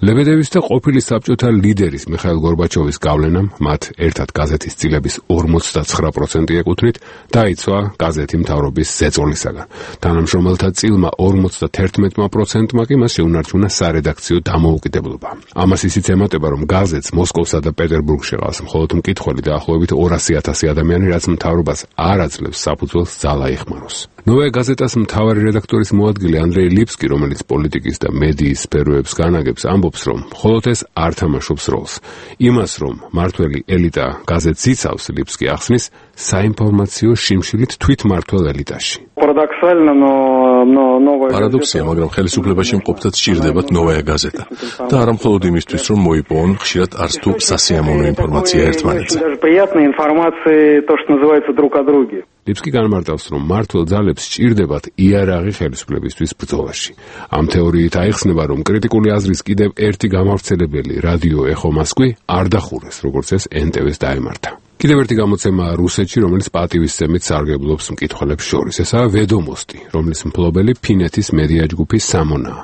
ლებედევის და ყოფილი საბჭოთა ლიდერის მიხაილ გორბაჩოვის გავლენამ მათ ერთად გაზეთის წილების ორმოცდაცხრა პროცენტი ეკუთვნით, დაიცვა გაზეთი მთავრობის ზეწოლისაგან. თანამშრომელთა წილმა ორმოცდათერთმეტ პროცენტმა კი მას შეუნარჩუნა სარედაქციო დამოუკიდებლობა. ამას ისიც ემატება, რომ გაზეთს მოსკოვსა და პეტერბურგში ყავს მხოლოდ მკითხველი დაახლოებით ორასი ათასი ადამიანი, რაც მთავრობას არ აძლევს საფუძველს ძალა იხმაროს. ნოვაია გაზეტას მთავარი რედაქტორის მოადგილე ანდრეი ლიფსკი, რომელიც პოლიტიკის და მედიის სფეროებს განაგებს, ამბობს, რომ მხოლოდ ეს არ თამაშობს როლს. იმას, რომ მართველი ელიტა გაზეთს იცავს, ლიფსკი ახსნის საინფორმაციო შიმშილით თვითმმართველ ელიტაში. პარადოქსია, მაგრამ ხელისუფლებაში მყოფთაც სჭირდებათ ნოვაია გაზეტა და არა მხოლოდ იმისთვის, რომ მოიპოვონ ხშირად არც თუ სასიამოვნო ინფორმაცია ერთმანეთზე. ლიფსკი განმარტავს, რომ მმართველ ძალებს სჭირდებათ იარაღი ხელისუფლებისთვის ბრძოლაში. ამ თეორიით აიხსნება, რომ კრიტიკული აზრის კიდევ ერთი გამავრცელებელი რადიო ეხო მოსკვი არ დახურეს, როგორც ეს ენ ტე ვეს დაემართა. კიდევ ერთი გამოცემა რუსეთში, რომელიც პატივისცემით სარგებლობს მკითხველებს შორის, ესაა ვედომოსტი, რომლის მფლობელი ფინეთის მედია ჯგუფი სამონაა.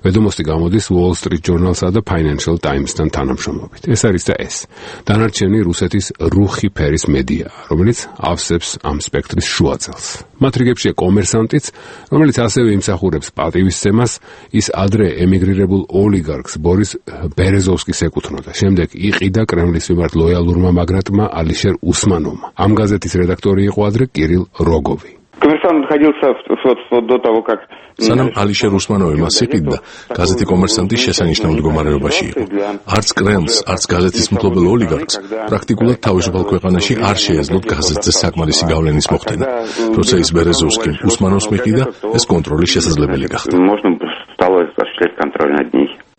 ვედომოსტი გამოდის Wall Street Journal-სა და Financial Times-თან თანამშრომლობით. ეს არის და ეს. დანარჩენი რუსეთის რუხი ფერის მედია, რომელიც ავსებს ამ სპექტრის შუაწელს. მათ რიგებშია კომერსანტიც, რომელიც ასევე იმსახურებს პატივისცემას, ის ადრე ემიგრირებულ ოლიგარქს ბორის ბერეზოვსკის ეკუთვნოდა. შემდეგ იყიდა კრემლის მიმართ ლოიალურმა მაგრატმა ალიშერ უსმანოვმა. ამ გაზეთის რედაქტორი იყო ადრე კირილ როგოვი. Коммерсант находился вот до того, как სანამ ალიშერ უსმანოვი მას იყიდდა, გაზეთი კომერსანტი შესანიშნავ მდგომარეობაში იყო. არც კრემლს, არც გაზეთის მფლობელ ოლიგარქს პრაქტიკულად თავისუფალ ქვეყანაში არ შეეძლოთ გაზეთზე საკმარისი გავლენის მოხდენა. როცა ის ბერეზოვსკიმ უსმანოვს მიყიდა, ეს კონტროლი შესაძლებელი გახდა.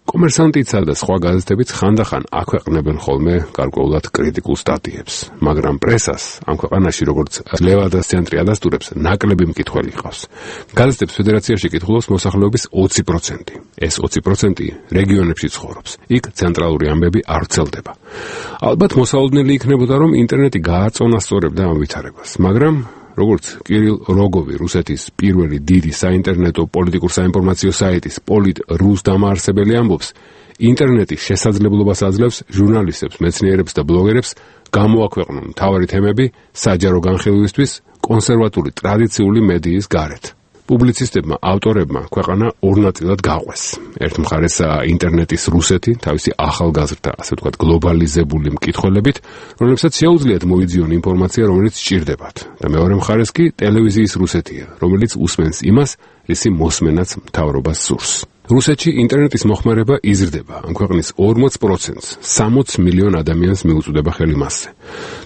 კომერსანტიცა და სხვა გაზეთებიც ხანდახან აქვეყნებენ ხოლმე გარკვეულად კრიტიკულ სტატიებს, მაგრამ პრესას ამ ქვეყანაში, როგორც ლევადას ცენტრი ადასტურებს, ნაკლები მკითხველი ჰყავს. გაზეთებს ფედერაციაში კითხულობს მოსახლეობის ოცი პროცენტი. ეს ოცი პროცენტი რეგიონებში ცხოვრობს. იქ ცენტრალური ამბები არ ვრცელდება. ალბათ მოსაოდნელი იქნებოდა, რომ ინტერნეტი გააწონასწორებდა ამ ვითარებას, მაგრამ როგორც კირილ როგოვი, რუსეთის პირველი დიდი საინტერნეტო პოლიტიკურ საინფორმაციო საიტის პოლიტ.რუს დამაარსებელი ამბობს, ინტერნეტი შესაძლებლობას აძლევს ჟურნალისტებს, მეცნიერებს და ბლოგერებს გამოაქვეყნონ მთავარი თემები საჯარო განხილვისთვის კონსერვატული ტრადიციული მედიის გარეთ. პუბლიცისტებმა, ავტორებმა ქვეყანა ორ ნაწილად გაყვეს. ერთ მხარეს ინტერნეტის რუსეთი, თავისი ახალგაზრდა, ასე ვთქვათ, გლობალიზებული მკითხველებით, რომლებსაც შეუძლიათ მოიძიონ ინფორმაცია, რომელიც სჭირდებათ. და მეორე მხარეს კი ტელევიზიის რუსეთია, რომელიც უსმენს იმას, რისი მოსმენაც მთავრობას სურს. რუსეთში ინტერნეტის მოხმარება იზრდება. ამ ქვეყნის ორმოც პროცენტს, სამოც მილიონ ადამიანს მიუწვდება ხელი მასზე.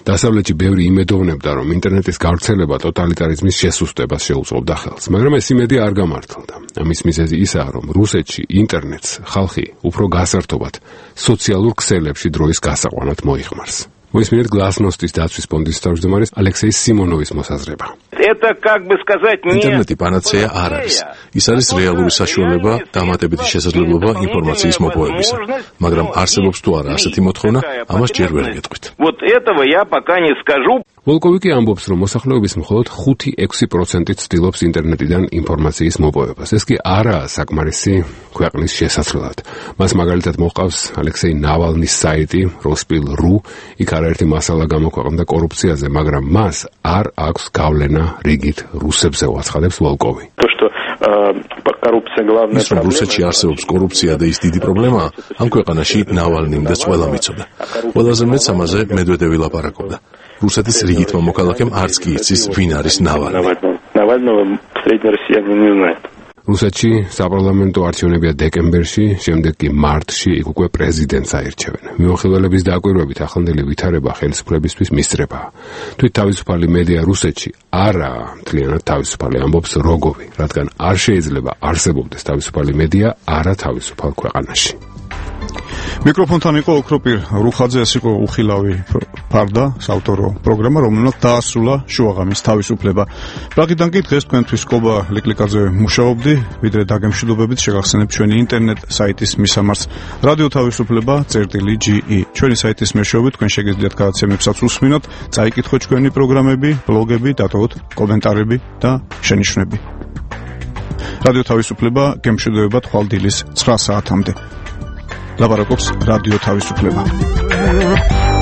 დასავლეთში ბევრი იმედოვნებდა, რომ ინტერნეტის გავრცელება ტოტალიტარიზმის შესუსტებას შეუწყობდა ხელს, მაგრამ ეს იმედი არ გამართლდა. ამის მიზეზი ისაა, რომ რუსეთში ინტერნეტს ხალხი უფრო გასართობად სოციალურ ქსელებში დროის გასაყვანად მოიხმარს. მოისმინეთ გლასნოსტის დაცვის ფონდის თავმჯდომარის ალექსეი სიმონოვის მოსაზრება. это, как бы сказать, не... ინტერნეტი პანაცეა არ არის. ის არის რეალური საშუალება, დამატებითი შესაძლებლობა ინფორმაციის მოპოვებისა. მაგრამ არსებობს თუ არა ასეთი მოთხოვნა, ამას ჯერ ვერ გეტყვით. Вот этого я пока не скажу. ვოლკოვი კი ამბობს, რომ მოსახლეობის მხოლოდ ხუთი ექვსი პროცენტი ცდილობს ინტერნეტიდან ინფორმაციის მოპოვებას. ეს კი არაა საკმარისი ქვეყნის შესაძლებლად. მას მაგალითად მოჰყავს ალექსეი ნავალნის საიტი როსპილ.რუ, იქ არაერთი მასალა გამოქვეყნდა კორუფციაზე, მაგრამ მას არ აქვს გავლენა რიგით რუსებზე, უაცხადებს ვოლკოვი. То, что коррупция главная ის რომ რუსეთში არსებობს კორუფცია და ის დიდი პრობლემაა, ამ ქვეყანაში ნავალნიმ და ყველა მიცოდა. ყველაზე მეც ამაზე მედვედევი ლაპარაკობდა. რუსეთის რიგითმა მოქალაქემ არც კი იცის, ვინ არის ნავალნი. Навального средний россиянин не знает. რუსეთში საპარლამენტო არჩევნებია დეკემბერში, შემდეგ კი მარტში იქ უკვე პრეზიდენტს აირჩევენ. მიმოხილველების დაკვირვებით ახლანდელი ვითარება ხელისუფლებისთვის მისწრებაა. თვით თავისუფალი მედია რუსეთში არაა მთლიანად თავისუფალი, ამბობს როგოვი, რადგან არ შეიძლება არსებობდეს თავისუფალი მედია არა თავისუფალ ქვეყანაში. მიკროფონთან იყო ოქროპირ რუხაძე, ეს იყო უხილავი ფარდა, საავტორო პროგრამა, რომელმაც დაასრულა შუაღამის თავისუფლება. პრაღიდან კი დღეს თქვენთვის კობა ლიკლიკაძე მუშაობდი, ვიდრე დაგემშვიდობებით შეგახსენებ ჩვენი ინტერნეტ საიტის მისამართს რადიო თავისუფლება წერტილი ჯი ი. ჩვენი საიტის მეშვეობით თქვენ შეგიძლიათ გადაცემებსაც უსმინოთ, წაიკითხოთ ჩვენი პროგრამები, ბლოგები, დატოვოთ კომენტარები და შენიშვნები. რადიო თავისუფლება გემშვიდობებად ხვალ დილის ცხრა საათამდე. ლაპარაკობს რადიო თავისუფლება.